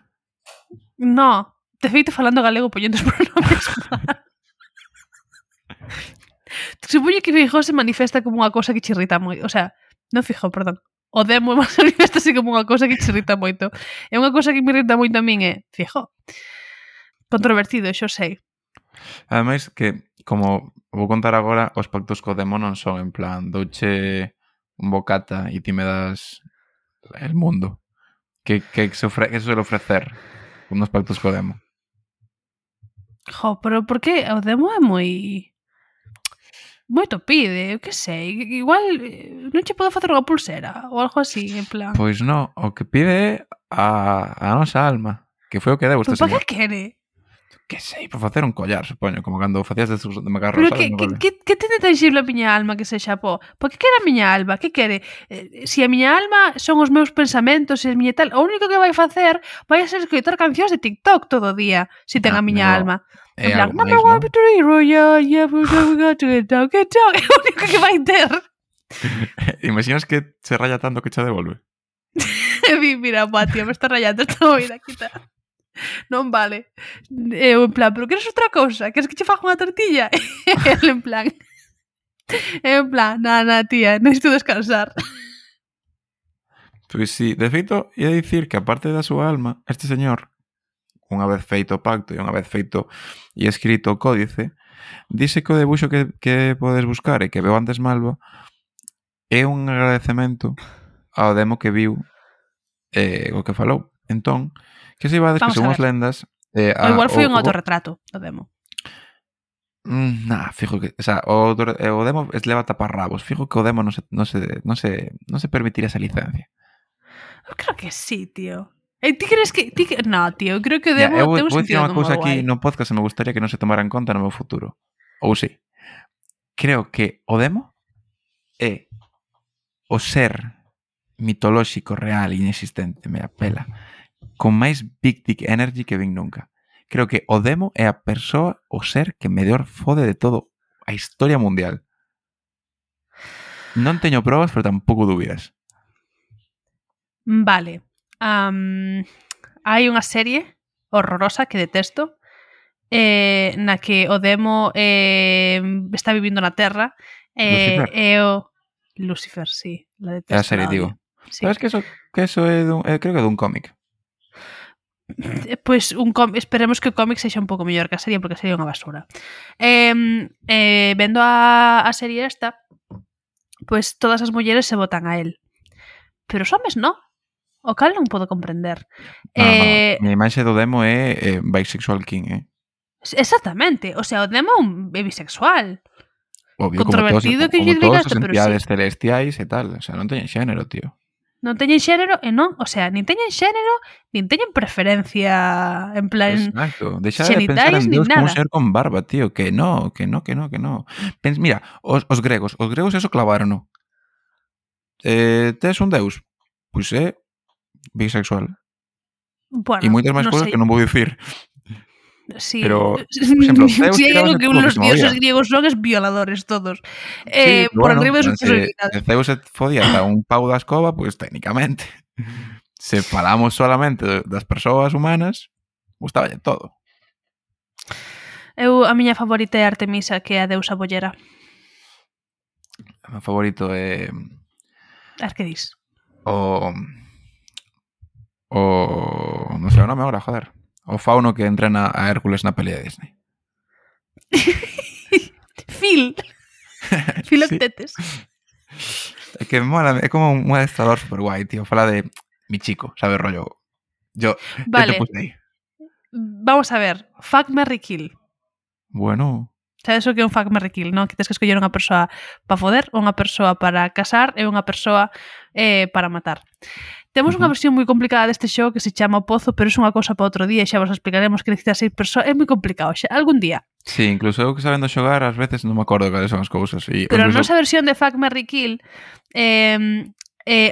No, de feito falando galego poñendo os pronomes mal. Supoño que Feijóo se manifesta como unha cousa que che irrita moito. O sea, non Feijóo, perdón. O Demo manifesta como unha cousa que che irrita moito. E unha cousa que me irrita moito a min é Feijóo. Controvertido, xo sei. Ademais que, como vou contar agora, os pactos co demo non son en plan douche un bocata e ti me das el mundo. Que se suele ofrecer unos pactos co demo. Jo, pero por que o Demo é moito pide, eu que sei, igual non che podo facer unha pulsera ou algo así, en plan. Pois non, o que pide a nosa alma, que foi o que deu este Pero para señor. que quere? Que sei, para facer un collar, supoño, como cando facías de macarrón, Pero sabes? que ten de tangible a miña alma que sexa po? Por que quere a miña alma? Que quere? Se a miña alma son os meus pensamentos e a miña tal, o único que vai facer vai a ser escoitar cancións de TikTok todo o día, se ten a miña alma. En plan, number one victory royal, yeah, we got to get down, é o único que vai ter. Imaginas que se raya tanto que che devolve? E vi, mira, buah, tío, me está rayando esta movida, quita. Non vale. Eu en plan, pero queres outra cousa? Queres que che faja unha tortilla? El en plan, na, tía, necesito descansar. Pois sí, de feito, ia dicir que aparte da súa alma, este señor, unha vez feito o pacto e unha vez feito e escrito o códice, dice que o debuxo que podes buscar e que veo antes Malva é un agradecemento ao demo que viu o que falou. Entón, que se ibades que son as lendas... O igual foi un autorretrato do demo. Fijo que... O sea, o demo leva taparrabos. Fijo que o demo non se permitiría esa licencia. Eu creo que sí, tío. Ti crees que... No, tío, creo que o demo ten un sentido como cousa guai. aquí no podcast e me gustaría que non se tomara en conta no meu futuro. Ou sí. Creo que o demo é o ser mitolóxico, real, inexistente, me apela, con máis big dick energy que vin nunca. Creo que o demo é a persoa, o ser que mellor fode de todo a historia mundial. Non teño probas, pero tampouco dúbidas. Vale. Hai unha serie horrorosa que detesto na que o demo está vivindo na Terra Lucifer. E o Lucifer, sí, la detesto. É a serie, digo. Sí. Sabes que eso é creo que é dun cómic. Pois esperemos que o cómic sexa un pouco mellor que a serie, porque a serie é unha basura. Vendo a serie esta, pois todas as mulleres se botan a él, pero os homes non. O cal non podo comprender. No. Mi imaxe do demo é bisexual king, Exactamente, o sea, o demo é bisexual. Obvio, controvertido que lle todas digas, as pero entidades sí. celestiais e tal. O sea, non teñen xénero, tío. Non teñen xénero e non, o sea, nin teñen xénero, nin teñen preferencia en plan exacto. Deixa de pensar en Deus como un ser con barba, tío, que no. Mira, os gregos eso clavaron. Tes un deus? Pois é bisexual. Bueno, e moitas máis cousas que non vou dicir. Sí, pero, por exemplo, Zeus si hai algo que los dioses griegos son es violadores todos. Sí, por bueno, arriba de sus posibilidades. Se Zeus se fodía a un pau da escoba, pues técnicamente. Se falamos solamente das persoas humanas, gustaballe todo. A miña favorita é Artemisa, que é a deusa bollera. O meu favorito é... Que dis? Non sei o nome agora, joder. O fauno que entrena a Hércules na peli de Disney. Filoctetes. Sí. É que mola, é como un adestrador super guai, tío. Fala de mi chico, sabe, rollo. Vale. Te puse aí. Vamos a ver. Fuck, marry, kill. Bueno. Sabes o que é un fuck, marry, kill, non? Que tens que escoller unha persoa para foder, unha persoa para casar e unha persoa para matar. Temos unha versión moi complicada deste xogo que se chama O Pozo, pero é unha cousa para outro día e xa vos explicaremos que necesita 6 persoas. É moi complicado, xa, algún día. Sí, incluso eu que sabendo xogar, ás veces non me acordo cales son as cousas. Pero a nosa versión de Fuck, Marry, Kill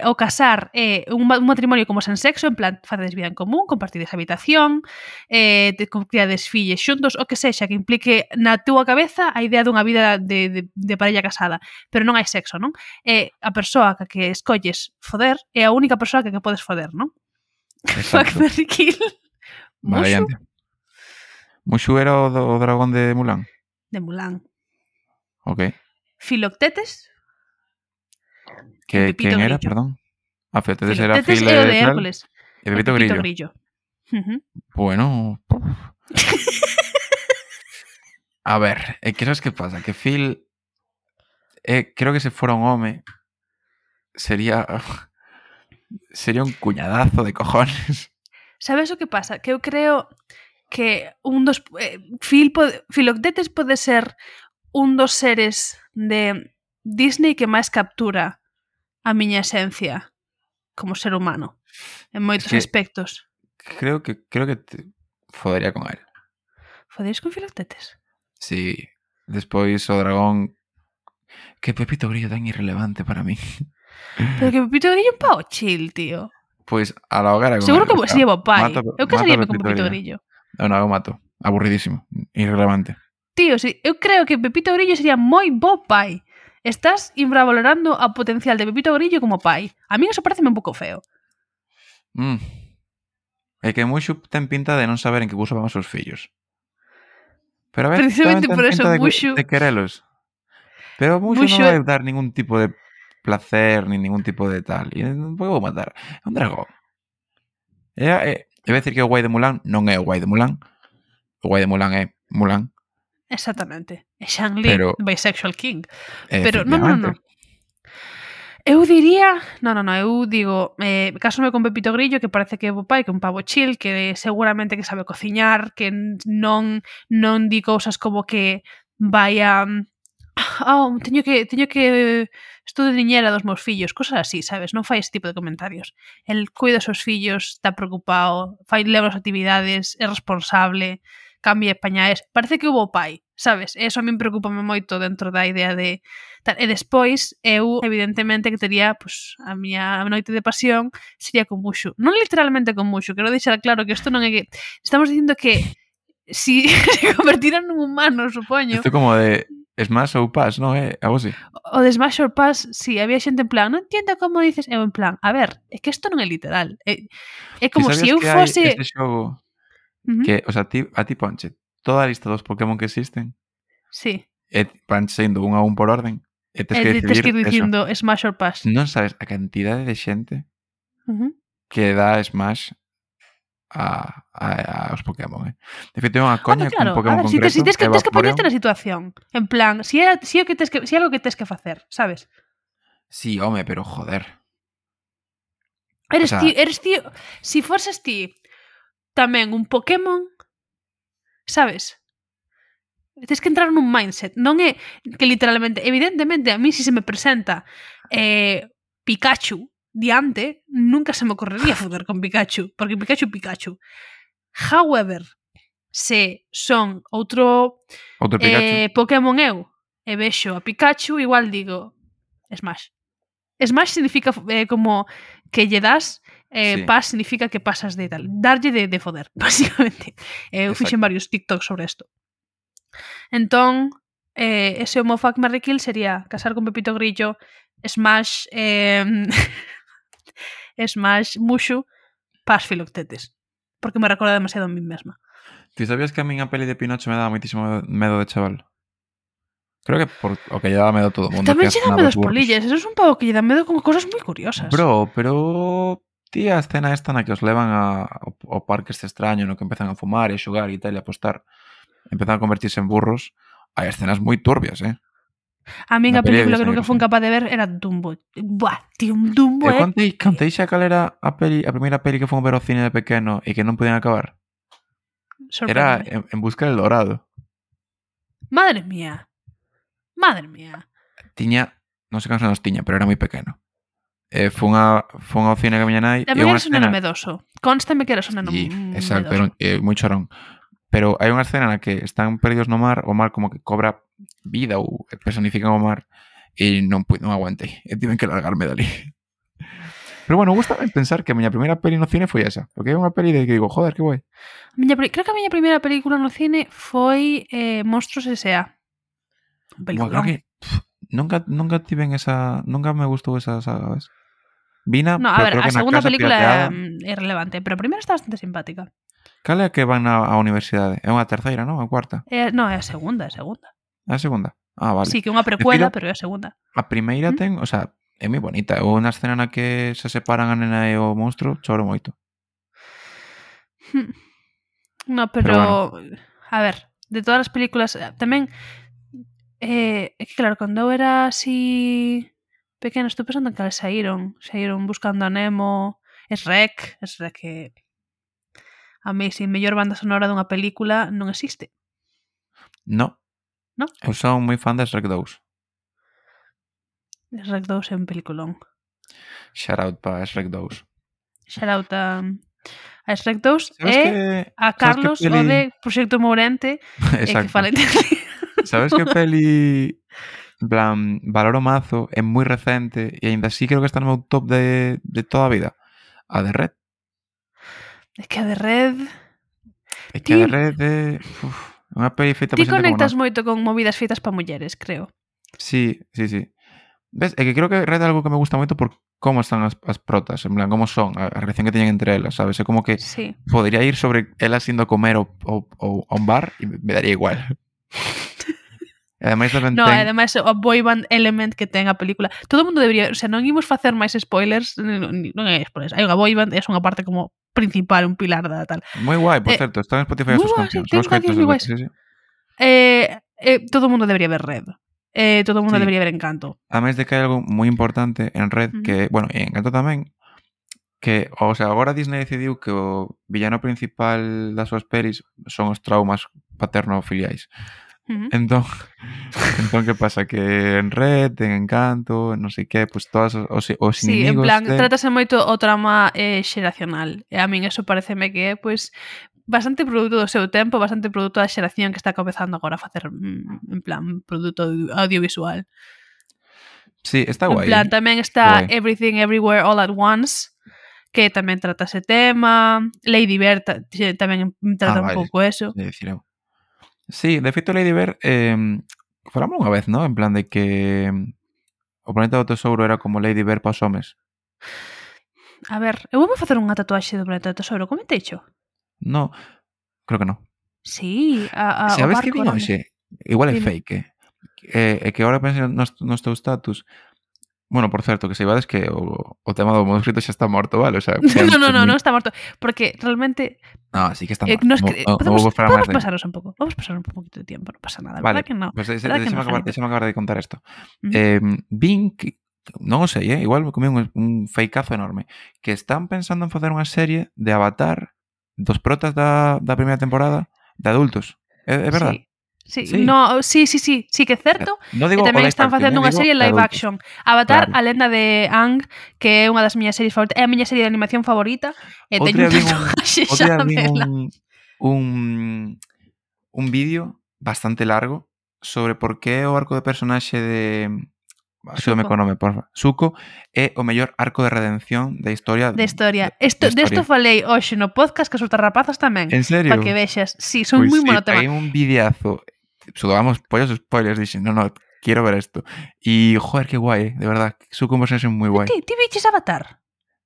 o casar é un matrimonio como sen sexo, en plan, facedes vida en común, compartides habitación, criades filles xuntos, o que sexa que implique na túa cabeza a idea dunha vida de parella casada, pero non hai sexo, non? A persoa que escolles foder é a única persoa que podes foder, non? Fuck, Marry, Kill. Mushu? Mushu era o dragón de Mulan? De Mulan. Ok. Filoctetes Que, Pepito quen era, Grillo. perdón? Filoctetes era Filoctetes Fil é o de tal, Hércules. e Pepito Grillo. Ujú. Bueno, a ver, que sabes que pasa? Que Phil, creo que se fora un home, sería un cuñadazo de cojones. Sabes o que pasa? Que eu creo que un dos Filoctetes pode ser un dos seres de Disney que máis captura a miña esencia como ser humano en moitos que- aspectos. Creo que te fodería con él. Fodeis con Filoctetes? Sí, despois o dragón, que Pepito Grillo tan irrelevante para mí. Pero que Pepito Grillo é un pao chill, tío. Pois a la hoguera con Seguro él, que sería bo pai. mato Eu casaríame a con Pepito Grillo. Non, eu mato. Aburridísimo, irrelevante. Tío, sí, eu creo que Pepito Grillo sería moi bo pai. Estás infravalorando a potencial de Pepito Grillo como pai. A mí eso parece un pouco feo. É que Mushu ten pinta de non saber en que curso van os seus fillos. Pero a ver, Precisamente tamén por ten eso pinta Mushu- de querelos. Pero Mushu Mushu non vai é- dar ningún tipo de placer, ni ningún tipo de tal. E non vou matar. É un dragón. Vou decir que o guai de Mulan non é o guai de Mulan. O guai de Mulan é Mulan. Exactamente. É Shang-Li, Pero- bisexual king. Pero non. Efectivamente. Eu diría, eu digo, cásome con Pepito Grillo, que parece que é bo pai, que é un pavo chill, que seguramente que sabe cociñar, que non di cousas como que vai a teño que estou de niñera dos meus fillos, cosas así, sabes? Non fai ese tipo de comentarios. El cuida os seus fillos, está preocupado, leva as actividades, é responsable, cambia pañais, parece que hubo pai, sabes? E eso a min preocupame moito dentro da idea de tal. E despois, eu, evidentemente, que tería, pues, a miña noite de pasión sería con Mushu. Non literalmente con Mushu, quero deixar claro que isto non é que... Estamos dicindo que si se convertiran nun humano, supoño. Isto como de Smash ou Pass, non é? Algo así. O de Smash or Pass, si, había xente en plan, non entendo como dices, eu en plan, a ver, é que isto non é literal. É como Ti se sabías eu que hai fose... este xogo Ujú. que, o sea, a ti ponche toda a lista dos Pokémon que existen Sí, e van sendo un a un por orden e tes que tes que ir decidir eso. dicindo Smash or Pass. Non sabes a cantidade de xente Ujú. que dá Smash aos Pokémon, De feito, é unha coña Claro, con Pokémon a ver, si concreto. tes que Vaporeon. ponerte na situación. En plan, si é algo que tes que facer, sabes? Sí, home, pero joder. Eres O sea- ti, si foses ti tamén un Pokémon, sabes? Tens que entrar nun mindset. Non é que literalmente, evidentemente, a mí si se me presenta Pikachu diante, nunca se me ocorrería foder con Pikachu, porque Pikachu. However, se son outro Outro Pikachu. Pokémon eu e vexo a Pikachu, igual digo Smash. Smash significa como que lle das, Sí. pass significa que pasas de tal. Darlle de foder, básicamente. Eu Exacto. fixen varios TikToks sobre isto. Entón, ese o meu fuck, marry, kill sería casar con Pepito Grillo, Smash Smash Mushu, pass Filoctetes. Porque me recorda demasiado a mí mesma. Ti sabías que a min a peli de Pinocho me daba moitísimo medo de chaval? Creo que por o que lle daba medo a todo o mundo. Tamén que lle dá acenaba medo os as burros. polillas. Eso es un pavo que lle dá medo con cosas moi curiosas. Bro, pero tía, a escena esta na que os levan ao parque este extraño no que empezan a fumar e a xogar e tal e a apostar, empezan a convertirse en burros. Hai escenas moi turbias, A min Na a peli de película que Disney, nunca fun sí. capaz de ver era Dumbo. Buah, tío, un Dumbo, Eu contei xa cal era a primeira peli que fun ver ao cine de pequeno e que non podían acabar. Era Sorprende. en busca del dorado. Madre mía. Tiña, non sei cantos anos tiña, pero era moi pequeno. Fun ao cine que a miña nai e Tamén unha eres un neno escena... medoso. Constame que eres un neno Sí, exacto, medoso. era moi chorón. Pero hai unha escena na que están perdidos no mar, o mar como que cobra vida ou personifican o mar e non aguantei. E tiven que largarme dali. Pero bueno, gusta pensar que a miña primeira peli no cine foi esa. Porque é unha peli de que digo, joder, que guai. Creo que a miña primeira película no cine foi Monstruos S.A. Buah, creo que nunca tiven esa... Nunca me gustou esa saga, ves? Vina, No, a pero ver, creo a que na segunda casa película pirateada... é relevante, pero a primeira está bastante simpática. Cal é a que van á universidade? É unha terceira, non? A cuarta? No, é a segunda. É a segunda? Ah, vale. Sí, que é unha precuela, Decilo, pero é a segunda. a primeira Mm. ten, o sea, é moi bonita. Ou unha escena na que se separan a nena e o monstro, choro moito. No, Pero bueno, pero a ver, de todas as películas tamén é que claro, cando eu era así pequena, estou pensando en cales saíron Buscando a Nemo, Shrek que a mí sin mellor banda sonora dunha película non existe, no. non? Eu son moi fan de Shrek 2. Shrek 2 é un peliculón. Shout out para Shrek 2. Shout out a Shrek 2 Sabes e que a sabes que Carlos, o peli de Proxecto Mourente, que Exacto. fala Sabes que peli en plan valoro mazo, é moi recente e aínda así creo que está no meu top de toda a vida. A de Red. É que a de Red... É que a de Ti- Red é unha peli feita Ti por xente como conectas nós. moito con movidas feitas para mulleres, creo. Sí. Ves, é que creo que Red é algo que me gusta moito por como están as protas, en plan, como son, a relación que teñen entre elas, sabes? É como que Sí. podría ir sobre elas indo a comer ou a un bar e me daría igual. E ademais tamén No, ten... ademais o boy band element que ten a película. Todo o mundo debería, o sea, non imos facer máis spoilers, non é spoilers. Hai unha boy band, é unha parte como principal, un pilar da tal. Moi guai, por certo, está en Spotify as moi súas guai, sí, cancións. ten Os coitos cancións moi guais. sí. Todo o mundo debería ver Red. Todo o mundo Sí. debería ver Encanto. Ademais de que hai algo moi importante en Red que, bueno, e en Encanto tamén, que, o sea, agora Disney decidiu que o villano principal das súas pelis son os traumas paterno-filiais. Entón, que pasa? Que en Red, en Encanto, non sei que, pues todos os Sí, en inimigos plan, trátase moito o trama xeracional. E a min eso pareceme que é, pois, bastante produto do seu tempo, bastante produto da xeración que está comezando agora a facer, en plan, produto audiovisual. Sí, está guai. En plan, tamén está Guai. Everything Everywhere All at Once, que tamén trata ese tema. Lady Bird tamén trata un vale. pouco eso. Decir eu. Sí, de feito Lady Bird falamos unha vez, ¿no? En plan de que o planeta do tesouro era como Lady Bird para os homes. A ver, eu vou facer unha tatuaxe do planeta do tesouro, comentei xo? No, creo que no. Sí, Sabes o que barco vin grande. hoxe? Igual é Dime. fake, é que agora penso nos teus status. Bueno, por certo, que saibades que o tema do manuscrito xa está morto, vale? O sea, non está morto, porque realmente No, sí que está morto. podemos máis de... pasarnos un pouco. Vamos pasar un poquito de tiempo, non pasa nada, Vale, verdad que non? pues Verdad que non, deixame acabar de contar isto. Ujú. Vin que non o sei, igual me comí un fakeazo enorme, que están pensando en facer unha serie de Avatar dos protas da primeira temporada de adultos. É verdad? Sí, Sí. no, sí, que é certo. Non E digo tamén o live están action, facendo unha digo serie de live adultos. action. Avatar, Claro. a lenda de Aang, que é unha das miñas series favoritas, é a miña serie de animación favorita, e Outro teño un día vin tatuaxe outro día xa vin dela. un vídeo bastante largo sobre por que o arco de personaxe de... Axúdame co nome, porfa. Zuko é o mellor arco de redención da historia. De historia. de Desto falei hoxe no podcast que as outras rapazas tamén. En serio? Para que vexas. Sí, son Pois moi sí, monotema. paguei un videazo. Sudamos pollos spoilers. Dixen, no, quiero ver esto. E, joder, que guai, de verdad. Zuko é un personaxe moi guai. Ti viches Avatar?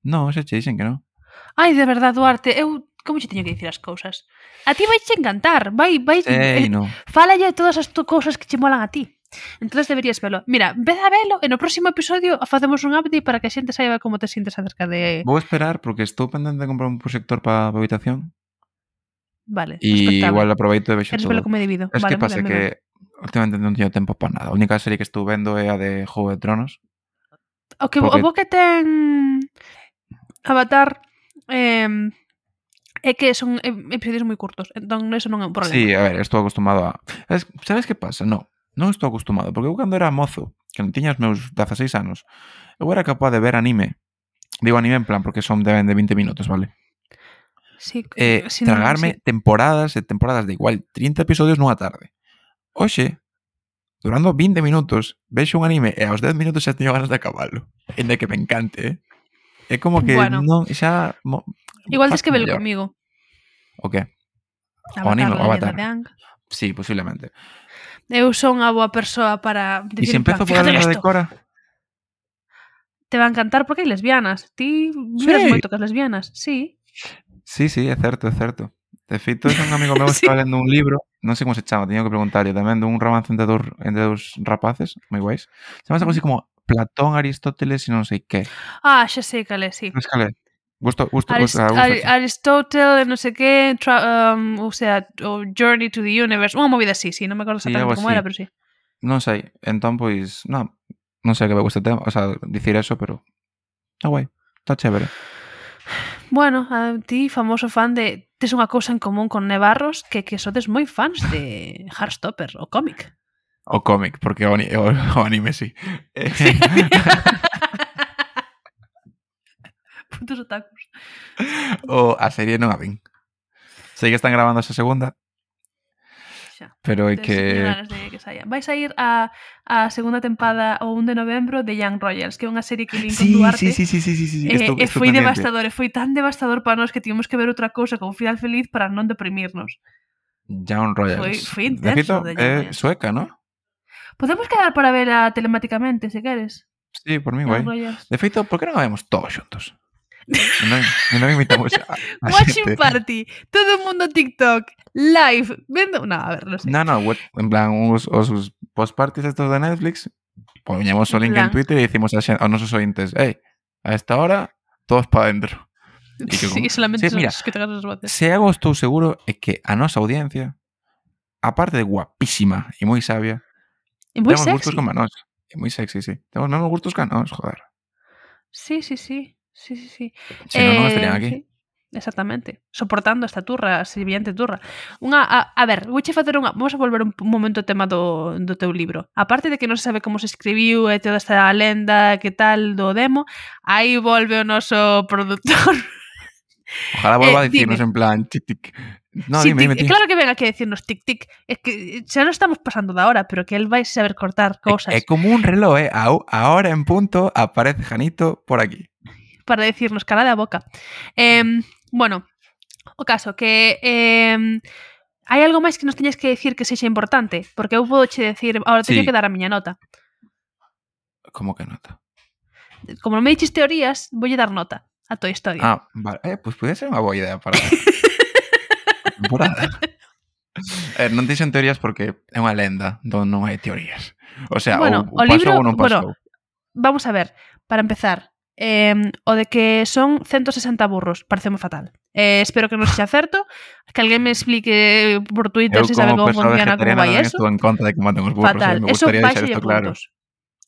No, xa che dixen que non. Ai, de verdad, Duarte, eu como che teño que dicir as cousas? A ti vai che encantar, vai Sei, no. fálalle todas as cousas que che molan a ti. Entonces deberías velo. Mira, vez a velo e no próximo episodio facemos un update para que a xente saiba como te sientes acerca de... Vou esperar porque estou pendente de comprar un proxector para a habitación. Vale, E respectable. igual aproveito e vexo Eres todo. velo como debido. Es Vale, que pasa moi ben, que últimamente non teño tempo para nada. A única serie que estou vendo é a de Juego de Tronos. O que porque- o bo que ten Avatar é que son episodios moi curtos, entón eso non é un problema. Sí, a ver, estou acostumado a... Sabes que pasa? Non estou acostumado, porque eu cando era mozo, que non tiña os meus 16 anos, eu era capaz de ver anime. Digo anime en plan porque son de 20 minutos, vale? Sí, si non, Tragarme sí. temporadas e temporadas de igual 30 episodios nunha tarde. Oxe, durando 20 minutos, vexo un anime e aos 10 minutos xa teño ganas de acabalo. E de que me encante, É como que Bueno. non xa... Igual tes que velo mellor. comigo. O que? Avatar, anime, o la leyenda Avatar. de Aang. Sí, posiblemente. Eu son a boa persoa para E dicir se en plan, empezo por fíjate a de nesto. Cora? Te va a encantar porque hai lesbianas. Ti miras Sí. moito que as lesbianas. Sí. Sí, é certo, é certo. De feito, un amigo meu Sí. estaba lendo un libro, non sei como se chama, teño que preguntarlle tamén, dun romance entre dous rapaces, moi guais. Chamase algo así como Platón, Aristóteles e non sei que. Xa sei cal é, sí. Sabes cal é? Gusta. Aristotle, non sei que, o sea, o Journey to the Universe, unha movida así, sí, non me acordo Sí, exactamente algo como así. era, pero sí. Non sei, entón, pois, non sei que me gusta o tema, o sea, dicir eso, pero está guai, está chévere. Bueno, a ti, famoso fan de... Tes unha cousa en común con Nevarros que sodes moi fans de Heartstopper, o cómic. O cómic, porque o anime sí. Putos otakus. A serie non a vin. Sei que están grabando esa segunda, Xa. pero é Teño que... ganas de que saia. Vai sair a segunda tempada o 1 de novembro de Young Royals, que é unha serie que vin con Duarte. Sí. E foi devastador, e foi tan devastador para nós que tivemos que ver outra cousa con final feliz para non deprimirnos. Young Royals. Foi De feito, intenso de Young é Royals. sueca, ¿no? Podemos quedar para vela telemáticamente, se queres. Sí, por mí, Young guai. Royals. De feito, por que non a vemos todos xuntos? Non invitamos a Watching xente. party, todo o mundo TikTok, live, vendo... No, a ver, non sei. No, en plan, os post-parties estos de Netflix, poñemos o En link en plan. Twitter e dicimos aos nosos ointes, a esta hora, todos para dentro. E que Sí, solamente Sí, mira, que te ganas as voces. se algo estou seguro é que a nosa audiencia, aparte de guapísima e moi sabia, É moi temos gustos sexy. como a nós. É moi sexy, sí. Temos mesmos gustos que a nós, joder. Sí. Se non estarían aquí. Sí, exactamente. Soportando esta turra, a siguiente turra. A ver, vouche facer unha... Vamos a volver un momento ao tema do teu libro. Aparte de que non se sabe como se escribiu e toda esta lenda que tal do demo, aí volve o noso produtor. Ojalá volva a dime. dicirnos en plan tic. No, Sí, dime, tío. claro que ven aquí a decirnos tic. Es que xa non estamos pasando da hora, pero que él vai saber cortar cousas. É como un reloj, ahora en punto aparece Janito por aquí. Para decirnos cara da boca. Bueno, o caso que hai algo máis que nos teñes que decir que sexa importante, porque eu podo che decir, ahora teño Sí. que dar a miña nota. Como que nota? Como non me diches teorías, voulle dar nota a tua historia. Vale. Pues pode ser unha boa idea para a temporada. Non dixen teorías porque é unha lenda donde non hai teorías. O sea, Bueno, o o libro, pasou ou non pasou. Vamos a ver, para empezar, o de que son 160 burros, pareceme fatal. Espero que non sexa certo, que alguén me explique por Twitter se sabe como funciona, como vai eso. Estou en contra de que maten os burros. Fatal, Me eso gustaría deixar baixalle isto claro. puntos.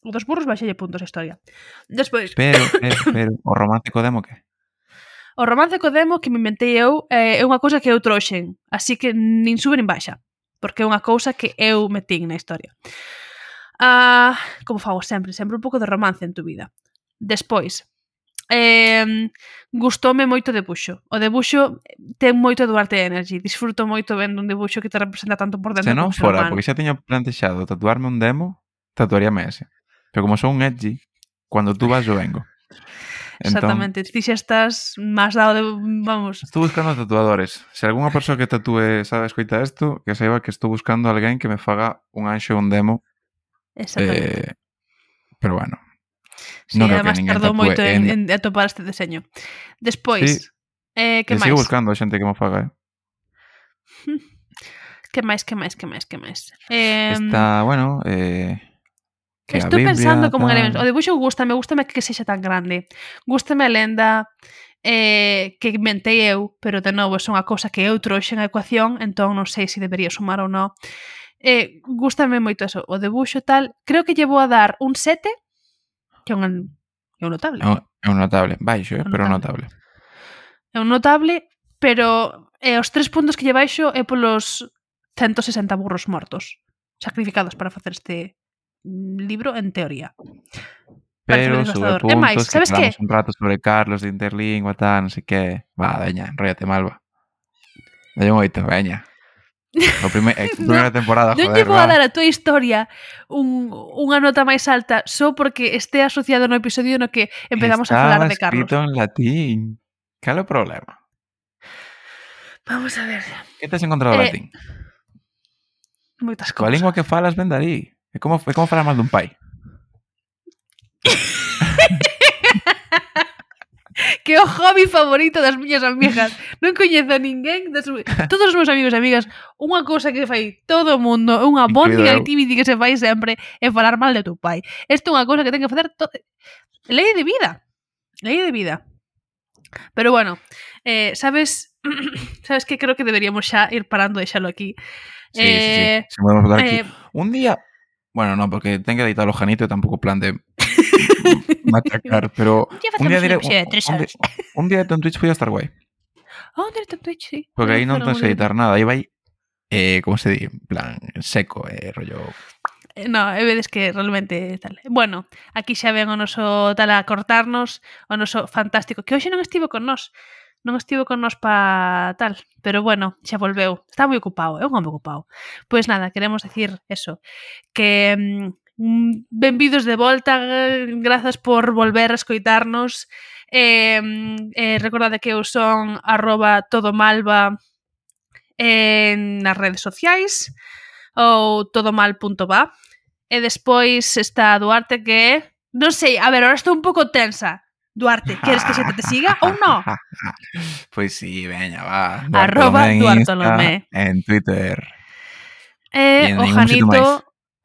O dos burros baixalle puntos a historia. Despois, Pero, o romántico demo que? o romance co demo que me inventei eu é unha cousa que eu trouxen, así que nin sube nin baixa, porque é unha cousa que eu metín na historia. Como fago sempre un pouco de romance en tu vida. Despois, gustoume moito o debuxo. O debuxo ten moito Duarte Energy. Disfruto moito vendo un debuxo que te representa tanto por dentro Se non como ser fora, humano. porque xa teño plantexado tatuarme un demo, tatuaríame ese. Pero como son un edgy, cuando tú vas yo vengo. Exactamente, ti xa estás máis dado de... Vamos. Estou buscando tatuadores. Se algunha persoa que tatúe sabe escoita isto, que saiba que estou buscando alguén que me faga un anxo un demo. Exactamente. Pero bueno. Sí, non creo además que ninguén tardou tatúe moito en atopar este deseño. Despois, que que máis? sigo buscando xente que me faga. Que máis? Está, bueno, que a Estou Biblia, pensando como en tal. elementos. O debuxo gústame que sexa tan grande. Gústame a lenda que inventei eu, pero de novo é unha cousa que eu trouxen a ecuación, entón non sei se debería sumar ou non. Gústame moito eso. O debuxo tal, creo que llevo a dar un 7, que é un notable. É un notable. Baixo, Un pero notable. notable. É un notable, pero os 3 puntos que lle baixo é polos 160 burros mortos sacrificados para facer este libro en teoría. Pero Parece sube devastador. É máis, puntos, que sabes que? falamos un rato sobre Carlos de Interlingua, tal, non sei que. Va, veña, enróllate, Malva. Dalle un 8, veña. Primeira temporada, Non joder, lle vou a va. dar a tua historia unha nota máis alta só porque este asociado no episodio no que empezamos a falar de Carlos. Estaba escrito en latín. Cal é o problema? Vamos a ver. Que tes encontrado latín? Moitas Coa cousas. lingua que falas ven dali. É como falar mal dun pai. que é o hobby favorito das miñas amigas. Non coñezo a ninguén todos os meus amigos e amigas, unha cousa que fai todo o mundo, unha bonding activity que se fai sempre é falar mal de tu pai. Isto é unha cousa que ten que facer lei de vida. Lei de vida. Pero bueno, sabes que creo que deberíamos xa ir parando e deixalo aquí. Sí. Se podemos falar aquí. Un día... Bueno, no, porque ten que editar o Janito e tampouco plan de machacar, pero un día diré... Un día en Twitch foi a estar guai. Un directo en Twitch, sí. Porque aí non tens que editar nada, aí vai, como se di, en plan, seco, rollo... No, vedes que realmente tal. Bueno, aquí xa ven o noso tal a cortarnos, o noso fantástico, que hoxe non estivo con nós. Non estivo con nós pa tal, pero bueno, xa volveu. Está moi ocupado, é un home ocupado. Pois nada, queremos decir eso, que benvidos de volta, grazas por volver a escoitarnos. Recordade que eu son @todomalva nas redes sociais ou todomal.va. E despois está Duarte que... Non sei, a ver, ahora estou un pouco tensa. Duarte, queres que se te siga ou non? Pois sí, veña, va. @Duartolomé en Twitter.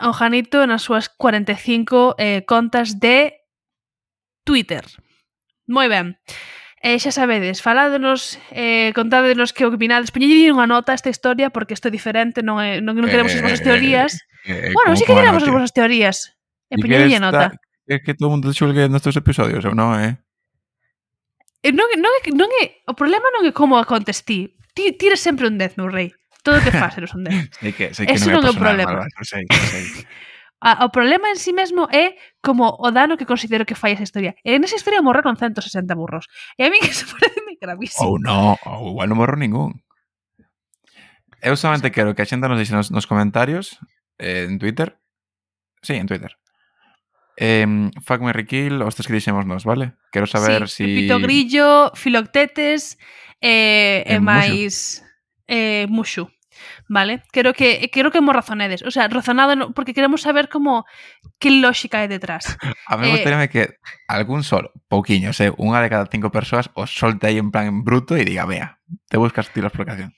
O Janito nas súas 45 contas de Twitter. Moi ben. Xa sabedes, faládenos, contádenos que opinades, poñelle unha nota a esta historia porque isto é diferente, non queremos as vosas teorías. Bueno, sí que queremos as vosas teorías. E poñelle nota. É que todo mundo xulgue nestes episodios, ou non, Non é, o problema non é como acontece ti. Ti tires sempre un 10 no rei. Todo o que faz eres un 10. Sei que eso non é o problema. Sei. O problema en sí mesmo é como o dano que considero que fai esa historia. E nesa historia morreron 160 burros. E a mí que se parece gravísimo. Ou non, ou igual non morro ningún. Eu solamente quero que a xente nos dixe nos comentarios en Twitter. Sí, en Twitter. Fuck, Marry, Kill, os tres que dixemos nos, vale? Quero saber si... Pepito Grillo, Filoctetes e máis Mushu, vale? Quero que mo razonedes, o sea, razonado porque queremos saber como que lógica hai detrás. A mí gustaríame que algún solo, pouquiños, unha de cada 5 persoas os solte aí en plan en bruto e diga, vea, te buscas ti la explicación.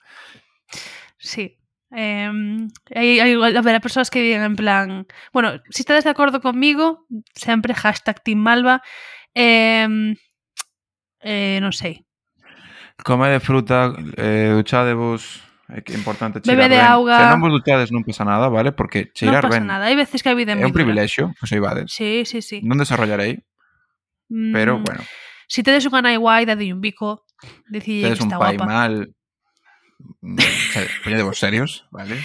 Sí. Haberá persoas que digan en plan, bueno, si estades de acordo conmigo, sempre #Team Malva, non sei. Come de fruta, duchadevos, é que é importante cheirar bebe de auga. Se non vos duchades non pasa nada, vale? Porque cheirar non pasa ben nada, hai veces que a vida é un privilexio, que soibades. Sí. Non desarrollarei, pero bueno. Si tedes unha nai guai, dadelle un bico, dicille que está guapa. Tedes un pai mal, poñede vos serios, vale?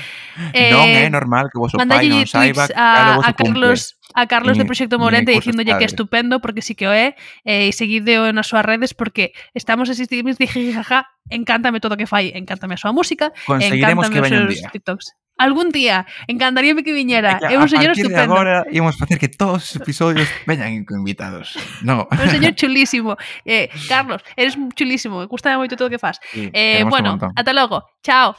Non é normal que vos o pai non saiba a Carlos de Proxecto Morente dicíndolle que é estupendo porque sí que o é, e seguideo nas súas redes porque estamos asistindo de jijijaja, encántame todo o que fai, encántame a súa música, conseguiremos que veña un día. TikToks. Algún día, encantaríame que viñera. É un señor estupendo. A partir de agora íamos facer que todos os episodios veñan con invitados. No. Un señor chulísimo. Carlos, eres chulísimo. Gústame moito todo o que fas. Sí, bueno, ata logo. Chao.